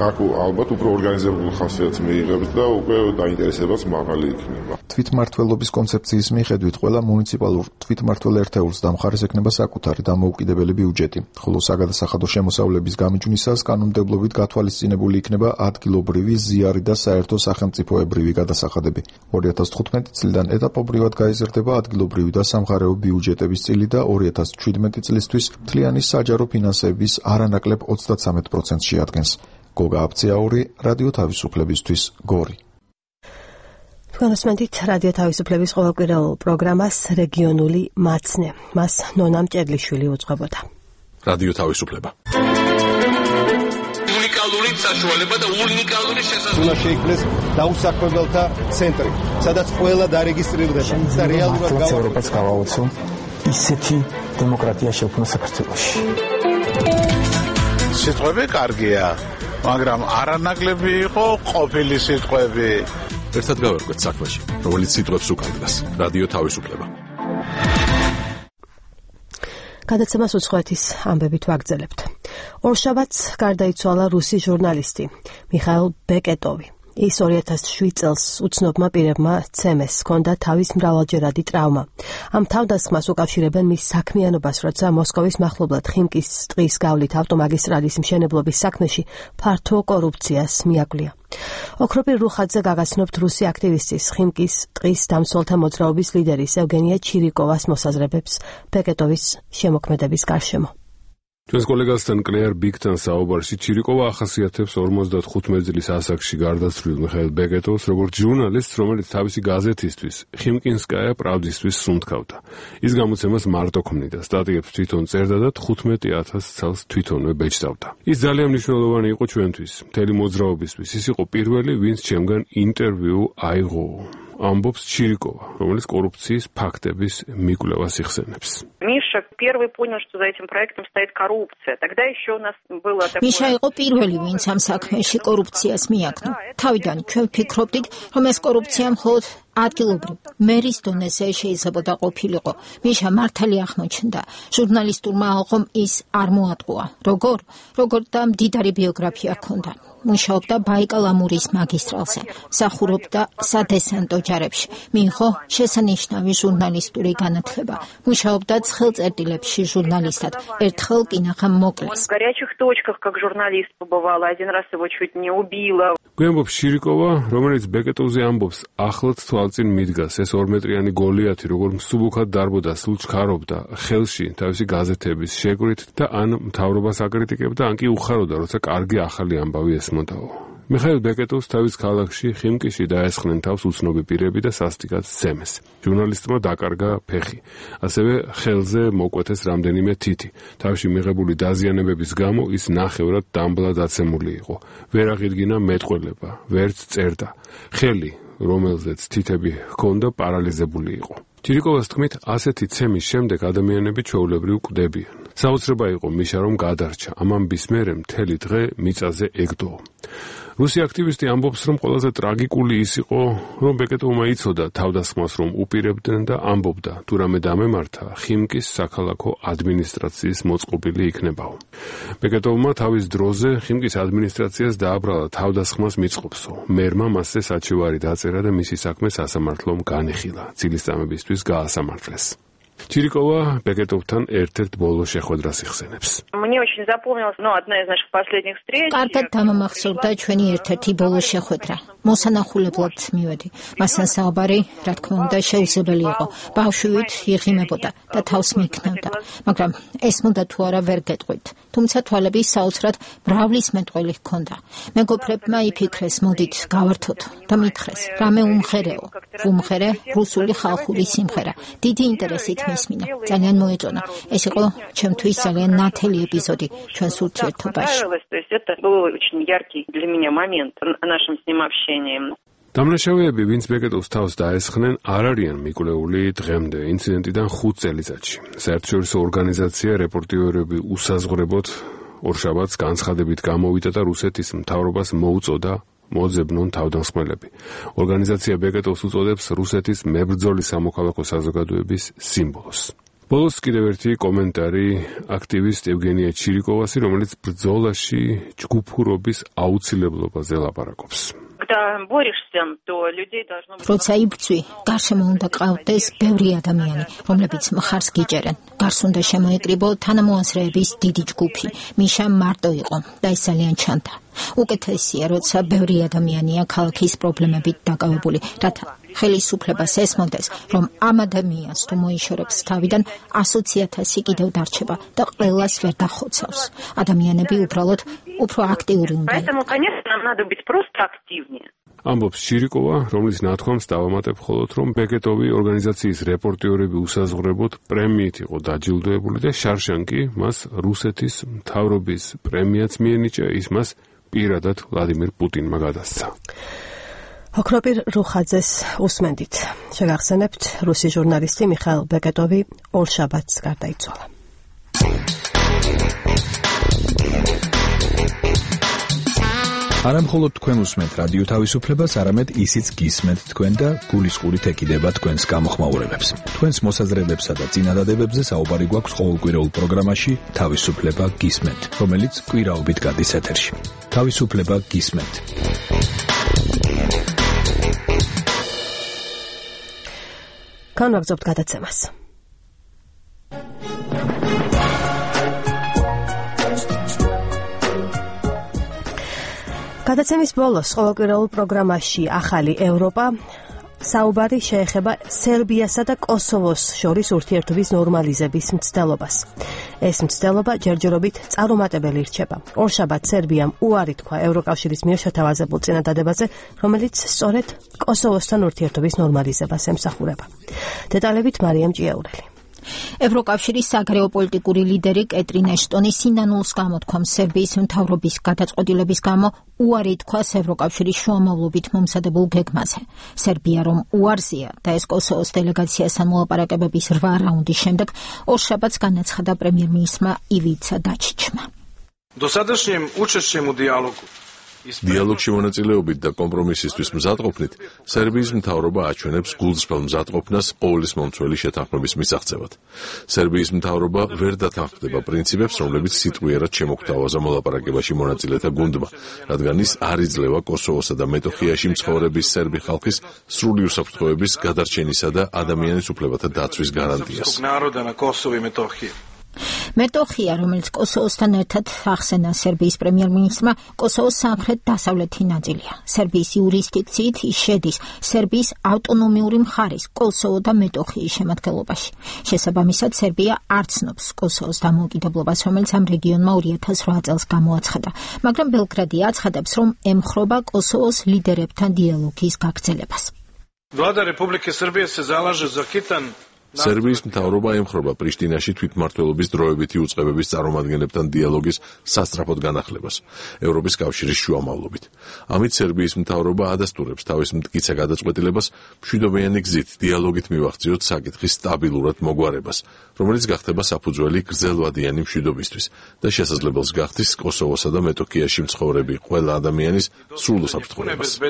აქ ალბათ უფრო ორგანიზებული ხასიათი მიიღებს და უკვე დაინტერესებაც მაღალი იქნება. თვითმმართველობის კონცეფციის მიხედვით ყველა მუნიციპალურ თვითმმართველ ერთეულს დამხარეს ექნება საკუთარი დამოუკიდებელი ბიუჯეტი, ხოლო საგადასახადო შემოსავლების გამიჯვნისას კანონმდებლობით გათვალისწინებული იქნება ადგილობრივი ზიარი და საერთო სახელმწიფოებრივი გადასახადები. ორი ათას თხუთმეტი წლიდან ეტაპობრივად გაიზრდება ადგილობრივი და სამხარეო ბიუჯეტების წილი და ორი ათას ჩვიდმეტი წლისთვის მთლიანი საჯარო ფინანსების არანაკლებ ოცდათსამეტ პროცენტს შეადგენს. გოგა აფციაური, რადიო თავისუფლებისთვის, გორი. განსმენთ რადიო თავისუფლების ყოველკვირეულ პროგრამას რეგიონული მაცნე. მას ნონა მჭედლიშვილი უძღვებოდა. რადიო თავისუფლება. უნიკალური საშუალება და უნიკალური შესაძლებლობა. უნდა შეიქმნეს დაუსაქმებელთა ცენტრი, სადაც ყველა დარეგისტრირდება და რეალურად ევროპას გავაოცო ისეთი დემოკრატია შექმნა საქართველოში. სიტყვები კარგია, მაგრამ არანაკლები იყო ყოფილი სიტყვები. ერთად გავერკვეთ საქმეში, რომელიც სიტყვებს უკარგავს. რადიო თავისუფლება. გადაცემას უცხოეთის ამბებით ვაგრძელებთ. ორშაბათს გარდაიცვალა რუსი ჟურნალისტი მიხაილ ბეკეტოვი. ის ორი ათას შვიდ წელს უცნობმა პირებმა ცემეს, ჰქონდა თავის მრავალჯერადი ტრავმა. ამ თავდასხმას უკავშირებენ მის საქმიანობას, როცა მოსკოვის მახლობლად ხიმკის ტყის გავლით ავტომაგისტრალის მშენებლობის საქმეში ფართო კორუფციას მიაგვია. ოქროპირ რუხაძე გაგაცნობთ რუსი აქტივისტის ხიმკის ტყის დამცველთა მოძრაობის ლიდერის ევგენია ჩირიკოვას მოსაზრებებს ბეკეტოვის შემოქმედების გარშემო. ჩვენს კოლეგასთან კლეარ ბიგთან საუბარში ჩირიკოვა ახასიათებს ორმოცდახუთმეტ წლის ასაკში გარდაცვლილ მიხაილ ბეკეტოვს როგორც ჟურნალისტს, რომელიც თავისი გაზეთისთვის ხიმკინსკაია პრავდისთვის სუნთქავდა. ის გამოცემას მარტო ქმნიდა, სტატიებს თვითონ წერდა და თხუთმეტ ათას ცალს თვითონვე ბეჭდავდა. ის ძალიან მნიშვნელოვანი იყო ჩვენთვის, მთელი მოძრაობისთვის. ის იყო პირველი, ვინც ჩემგან ინტერვიუ აიღო. Амбობს Чирикова, რომელიც კორუფციის ფაქტების მიკვლევას იხსენებს. Миша первый понял, что за этим проектом стоит коррупция. Тогда еще у нас было такое. Миша იყო პირველი, ვინც ამ საქმეში კორუფციას მიაკნო. თავიდან ჩვენ ფიქრობდით, რომ ეს კორუფცია მხოლოდ ადგილობრივ მერის დონეზე შეიძლებოდა ყოფილიყო. მიშა მართალი აღმოჩნდა. ჟურნალისტურმა ალღომ ის არ მოატყუა. როგორ? როგორ და მდიდარი ბიოგრაფია ჰქონდა. მუშაობდა ბაიკალ-ამურის მაგისტრალზე, მსახურობდა სადესანტო ჯარებში, მიიღო შესანიშნავი ჟურნალისტური განათლება, მუშაობდა ცხელწერტილებში ჟურნალისტად, ერთხელ კინაღამ მოკლეს. В горячих точках как журналист побывала, один раз его чуть не убила. გვემბობს ჩირიკოვა, რომელიც ბეკეტოვზე ამბობს, ახლაც თვალწინ მიდგას ეს ორმეტრიანი გოლიათი, როგორ მსუბუქად დარბოდა, სულ ჩქარობდა ხელში თავისი გაზეთების შეკვრით და ან მთავრობას აკრიტიკებდა, ან კი უხაროდა, როცა კარგი ახალი ამბავი ესმოდაო. მიხაილ ბეკეტოვს თავის ქალაქში ხიმკიში დაესხნენ თავს უცნობი პირები და სასტიკად სცემეს. ჟურნალისტმა დაკარგა ფეხი, ასევე ხელზე მოკვეთეს რამდენიმე თითი. თავში მიღებული დაზიანებების გამო ის ნახევრად დამბლა დაცემული იყო. ვერ აღიდგინა მეტყველება, ვერც წერდა. ხელი, რომელზეც თითები ჰქონდა, პარალიზებული იყო. ჩირიკოვას თქმით, ასეთი ცემის შემდეგ ადამიანები ჩვეულებრივ კვდებიან. საოცრება იყო მიშა რომ გადარჩა, ამ ამბის მერე მთელი დღე მიწაზე ეგდო. რუსი აქტივისტი ამბობს, რომ ყველაზე ტრაგიკული ის იყო, რომ ბეკეტოვმა იცოდა თავდასხმას რომ უპირებდნენ და ამბობდა, თუ რამე დამემართა, ხიმკის საქალაქო ადმინისტრაციის მოწყობილი იქნებაო. ბეკეტოვმა თავის დროზე ხიმკის ადმინისტრაციას დააბრალა თავდასხმას მიწყობსო. მერმა მასზე საჩივარი დაწერა და მისი საქმე სასამართლომ განიხილა. წილისწამებისთვის გაასამართლეს. Чирикова Бекетовთან ერთ-ერთ ბოლო შეხვედრას იხსენებს. Мне очень запомнилась, ну, одна из наших последних встреч. კარგად დამამახსოვრდა ჩვენი ერთ-ერთი ბოლო შეხვედრა. მოსანახულებლად მივედი. მასთან საუბარი, რა თქმა უნდა, შეუძლებელი იყო. ბავშვით იღიმებოდა და თავს მიქნევდა. მაგრამ ესმოდა თუ არა ვერ გეტყვით. თუმცა თვალები საოცრად ბრავლის მეტყველი ჰქონდა. მეგობრებმა იფიქრეს, მოდით გავართოთ და მითხრეს, რამე უმღერეო. უმღერე რუსული ხალხური სიმღერა. დიდი ინტერესით მისმინა. ძალიან მოეწონა. ეს იყო ჩემთვის ძალიან ნათელი ეპიზოდი ჩვენს ურთიერთობაში. То есть это был очень яркий для меня момент в нашем с ним общении. დამნაშავეები, ვინც ბეკეტოვს თავს დაესხნენ, არ არიან მიკვლეული დღემდე ინციდენტიდან ხუთ წელიწადში. საერთაშორისო ორგანიზაცია რეპორტიორები უსაზღვრებოდ ორშაბათს განცხადებით გამოვიდა და რუსეთის მთავრობას მოუწოდა მოძებნონ თავდამსხმელები. ორგანიზაცია ბეკეტოვს უწოდებს რუსეთის მებრძოლი სამოქალაქო საზოგადოების სიმბოლოს. ბოლოს კიდევ ერთი კომენტარი აქტივისტ ევგენია ჩირიკოვასი, რომელიც ბრძოლაში ჯგუფურობის აუცილებლობაზე ლაპარაკობს. როცა იბრძვი, გარშემო უნდა ყავდეს ბევრი ადამიანი, რომლებიც მხარს გიჭერენ. გარს უნდა შემოეკრიბო თანამოაზრეების დიდი ჯგუფი. მიშა მარტო იყო და ეს ძალიან ჩანდა. უკეთესია, როცა ბევრი ადამიანია ქალაქის პრობლემებით დაკავებული, რათა ხელისუფლებას ესმოდეს, რომ ამ ადამიანს თუ მოიშორებს თავიდან ასოცი ათასი კიდევ დარჩება და ყველას ვერ დახოცავს. ადამიანები უბრალოდ უფრო აქტიური უნდა იყოს. Поэтому, конечно, нам надо быть просто активнее. ამბობს ჩირიკოვა, რომლის ნათქვამს დავამატებ მხოლოდ, რომ ბეკეტოვი ორგანიზაციის რეპორტიორები უსაზღვრებოდ პრემიით იყო დაჯილდოებული და შარშანკი მას რუსეთის მთავრობის პრემიაც მიენიჭა, ის მას პირადად ვლადიმირ პუტინმა გადასცა. ოქროპირ რუხაძეს უსმენდით. შეგახსენებთ, რუსი ჟურნალისტი მიხაილ ბეკეტოვი ორშაბათს გარდაიცვალა. არა მხოლოდ თქვენ უსმენთ რადიო თავისუფლებას, არამედ ისიც გისმენთ თქვენ და გულისყურით ეკიდება თქვენს გამოხმაურებებს. თქვენს მოსაზრებებსა და წინადადებებზე საუბარი გვაქვს ყოველკვირეულ პროგრამაში თავისუფლება გისმენთ, რომელიც კვირაობით გადის ეთერში. თავისუფლება გისმენთ. განვაგრძობთ გადაცემას. გადაცემის ბოლოს ყოველკვირეულ პროგრამაში ახალი ევროპა საუბარი შეეხება სერბიასა და კოსოვოს შორის ურთიერთობის ნორმალიზების მცდელობას. ეს მცდელობა ჯერჯერობით წარუმატებელი რჩება. ორშაბათს სერბიამ უარი თქვა ევროკავშირის მიერ შეთავაზებულ წინადადებაზე, რომელიც სწორედ კოსოვოსთან ურთიერთობის ნორმალიზებას ემსახურება. დეტალებით მარიამ ჭიაურელი. ევროკავშირის საგარეო პოლიტიკური ლიდერი კეტრინ ეშტონი სინანულს გამოთქვამს სერბიის მთავრობის გადაწყვეტილების გამო უარი თქვას ევროკავშირის შუამავლობით მომზადებულ გეგმაზე. სერბია რომ უარზია და ეს კოსოვოს დელეგაციასთან მოლაპარაკებების რვა რაუნდის შემდეგ ორშაბათს განაცხადა პრემიერ-მინისტრმა ივიცა დაჩიჩმა. Dosadašnjim učešćem u dijalogu დიალოგში მონაწილეობით და კომპრომისისთვის მზადყოფნით სერბიის მთავრობა აჩვენებს გულწრფელ მზადყოფნას ყოვლის მომცველი შეთანხმების მისაღწევად. სერბიის მთავრობა ვერ დათანხმდება პრინციპებს, რომლებიც სიტყვიერად შემოგთავაზა მოლაპარაკებაში მონაწილეთა გუნდმა, რადგან ის არ იძლევა კოსოვოსა და მეტოხიაში მცხოვრების სერბი ხალხის სრული უსაფრთხოების, გადარჩენისა და ადამიანის უფლებათა დაცვის გარანტიას. მეტოხია, რომელიც კოსოვოსთან ერთად ახსენა სერბიის პრემიერ-მინისტრმა, კოსოვოს სამხრეთ-დასავლეთი ნაწილია. სერბიის იურისდიქციით ის შედის სერბიის ავტონომიური მხარის, კოსოვო და მეტოხიის შემადგენლობაში. შესაბამისად, სერბია არ ცნობს კოსოვოს დამოუკიდებლობას, რომელიც ამ რეგიონმა ორი ათას რვა წელს გამოაცხადა. მაგრამ ბელგრადი აცხადებს, რომ ემხრობა კოსოვოს ლიდერებთან დიალოგის გაგრძელებას. Vlada Republike Srbije se zalaže za hitan სერბიის მთავრობა ემხრობა პრიშტინაში თვითმმართველობის დროებითი უწყებების წარმომადგენლებთან დიალოგის სასწრაფოდ განახლებას ევროპის კავშირის შუამავლობით. ამით სერბიის მთავრობა ადასტურებს თავის მტკიცე გადაწყვეტილებას მშვიდობიანი გზით დიალოგით მივახციოთ საკითხის სტაბილურად მოგვარებას, რომელიც გახდება საფუძველი გრძელვადიანი მშვიდობისთვის და შესაძლებელს გახდის კოსოვოსა და მეტოქიაში მცხოვრები ყველა ადამიანის სრულ უსაფრთხოებას.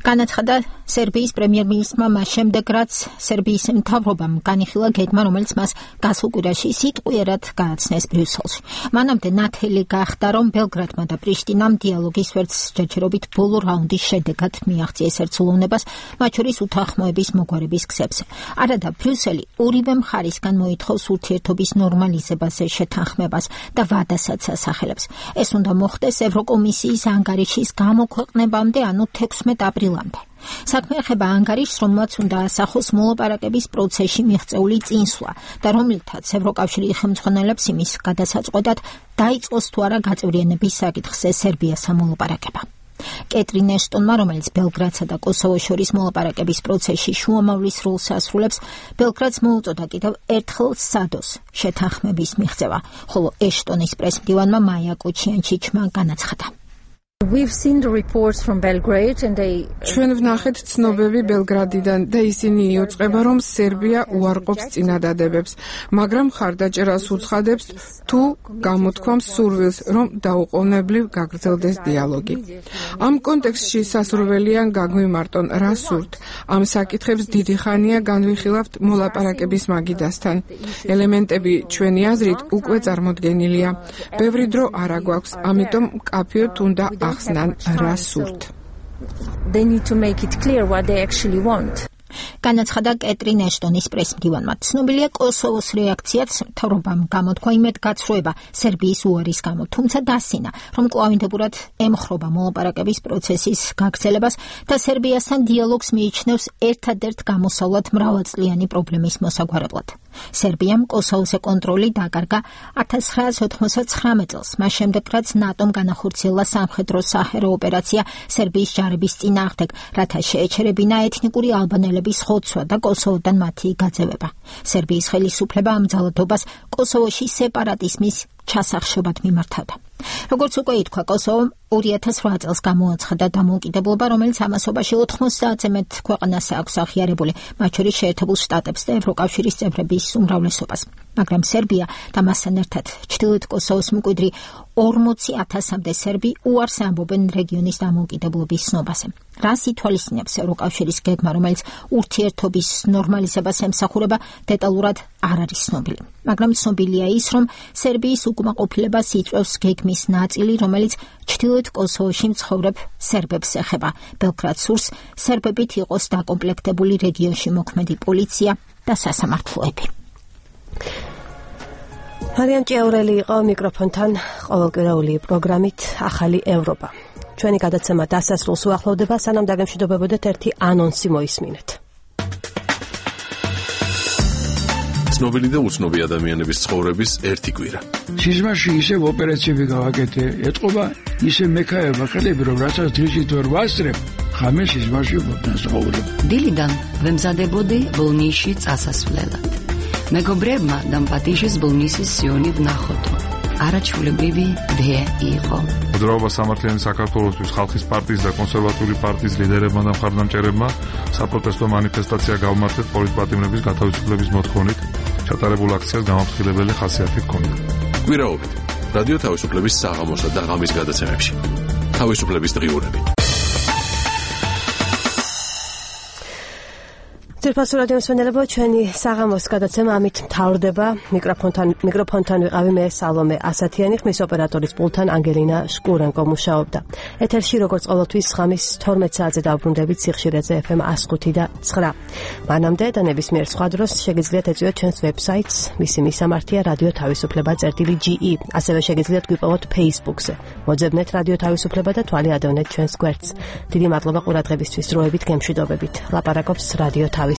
განაცხადა სერბიის პრემიერ-მინისტრმა მას შემდეგ, რაც სერბიის მთავრობამ განიხილა გეგმა, რომელიც მას გასულ კვირაში სიტყვიერად გააცნეს ბრიუსელში. მანამდე ნათელი გახდა, რომ ბელგრადმა და პრიშტინამ დიალოგის ვერც ჯერჯერობით ბოლო რაუნდის შედეგად მიაღწიეს ერთსულოვნებას, მათ შორის უთანხმოების მოგვარების გზებზე. არადა ბრიუსელი ორივე მხარისგან მოითხოვს ურთიერთობის ნორმალიზებაზე შეთანხმებას და ვადასაც ასახელებს. ეს უნდა მოხდეს ევროკომისიის ანგარიშის გამოქვეყნებამდე, ანუ თექვსმეტ აპრილამდე. საქმე ეხება ანგარიშს, რომელმაც უნდა ასახოს მოლაპარაკების პროცესში მიღწეული წინსვლა და რომლითაც ევროკავშირი ხელმძღვანელებს იმის გადასაწყვეტად დაიწყოს თუ არა გაწევრიანების საკითხზე სერბიასთან მოლაპარაკება. კეტრინ ეშტონმა, რომელიც ბელგრადსა და კოსოვოს შორის მოლაპარაკების პროცესში შუამავლის როლს ასრულებს, ბელგრადს მოუწოდა კიდევ ერთხელ სადოს შეთანხმების მიღწევა, ხოლო ეშტონის პრესმდივანმა მაია კოჩიანჩიჩმა განაცხადა. ჩვენ ვნახეთ ცნობები ბელგრადიდან და ისინი იუწყება, რომ სერბია უარყოფს წინადადებებს, მაგრამ ხარდაჭერას უცხადებს თუ გამოთქვამს სურვილს, რომ დაუყოვნებლივ გაგრძელდეს დიალოგი. ამ კონტექსტში სასურველია გაგვიმარტონ, რა სურთ. ამ საკითხებს დიდი ხანია განვიხილავთ მოლაპარაკების მაგიდასთან. ელემენტები ჩვენი აზრით უკვე წარმოდგენილია. ბევრი დრო არ აგვაქვს, ამიტომ მკაფიოდ უნდა ახსნან რა სურთ. They need to make it clear what they actually want. განაცხადა კეტრინ ეშტონის პრესმდივანმა. ცნობილია კოსოვოს რეაქციაც, მთავრობამ გამოთქვა იმედგაცრუება სერბიის უარის გამო, თუმცა დასინა, რომ კვლავინდებურად ემხრობა მოლაპარაკების პროცესის გაგრძელებას და სერბიასთან დიალოგს მიიჩნევს ერთადერთ გამოსავლად მრავალწლიანი პრობლემის მოსაგვარებლად. სერბიამ კოსოვოზე კონტროლი დაკარგა ათას ცხრაასი ოცდაათი წელს, მას შემდეგ რაც ნატომ განახორციელა სამხედრო საჰერო ოპერაცია სერბიის ჯარების წინააღმდეგ, რათა შეეჩერებინა ეთნიკური ალბანელების ხოცვა და კოსოვოდან მათი გაძევება. სერბიის ხელისუფლება ამ ძალადობას კოსოვოში სეპარატიზმის ჩასახშობად მიმართავდა. როგორც უკვე ითქვა, კოსოვომ ორი ათას რვა წელს გამოაცხადა დამოუკიდებლობა, რომელიც ამასობაში ოთხმოცდაათზე მეტ ქვეყანას აქვს აღიარებული, მათ შორის შეერთებულ შტატებს და ევროკავშირის წევრების უმრავლესობას. მაგრამ სერბია და მასთან ერთად ჩრდილოეთ კოსოვოს მკვიდრი ორმოცი ათასამდე სერბი უარს ამბობენ რეგიონის დამოუკიდებლობის ცნობაზე. რას ითვალისწინებს ევროკავშირის გეგმა, რომელიც ურთიერთობის ნორმალიზებას ემსახურება, დეტალურად არ არის ცნობილი. მაგრამ ცნობილია ის, რომ სერბიის უკმაყოფილებას იწვევს გეგმის ნაწილი, რომელიც ჩრდილოეთ კოსოვოში მცხოვრებ სერბებს ეხება. ბელგრადს სურს სერბებით იყოს დაკომპლექტებული რეგიონში მოქმედი პოლიცია და სასამართლოები. მარიამ ჭიაურელი იყო მიკროფონთან ყოველკვირეული პროგრამით ახალი ევროპა. ჩვენი გადაცემა დასასრულს უახლოვდება, სანამ დაგემშვიდობებოდეთ ერთი ანონსი მოისმინეთ. ცნობილი და უცნობი ადამიანების ცხოვრების ერთი კვირა. სიზმარში ისევ ოპერაციები გავაკეთე, ეთყობა ისე მექაება ხელები, რომ რასაც დღისით ვერ ვასწრებ, ხამე სიზმარში ვფასაურებ. დილიდან ვემზადებოდი ბოლნისში წასასვლელად. მეგობრებმა დამპატიჟეს ბოლნისის სიონი ვნახოდო. არაჩვეულებრივი დე იყო. მოძრაობა სამართლიანი საქართველოსთვის ხალხის პარტიის და კონსერვატიული პარტიის ლიდერებმა და მხარდამჭერებმა საპროტესტო მანიფესტაცია გავმართეთ პოლიტპატიმრების გათავისუფლების მოთხოვნით. ჩატარებულ აქციას გამაფრთხილებელი ხასიათი ჰქონდა. კვირაობით რადიო თავისუფლების საღამოსა და ღამის გადაცემებში. თავისუფლების დღიურები. ძირფასო რადიო მსმენელებო, ჩვენი საღამოს გადაცემა ამით მთავრდება. მიკროფონთან მიკროფონთან ვიყავი მე სალომე ასათიანი, ხმის ოპერატორის პულტთან ანგელინა შკურენკო მუშაობდა. ეთერში როგორც ყოველთვის ღამის თორმეტ საათზე დავბრუნდებით სიხშირეზე ეფ ემ one oh five და nine. მანამდე და ნებისმიერ სხვა დროს შეგიძლიათ ეწვიოთ ჩვენს ვებსაიტს, მისი მისამართია რადიო თავისუფლება წერტილი ჯი ი. ასევე შეგიძლიათ გვიპოვოთ Facebook-ზე. მოძებნეთ რადიო თავისუფლება და თვალი ადევნეთ ჩვენს გვერდს. დიდი მადლობა ყურადღებისთვის, დროებით გემშვიდობებით. ლაპარაკობს რადიო თავისუფლება.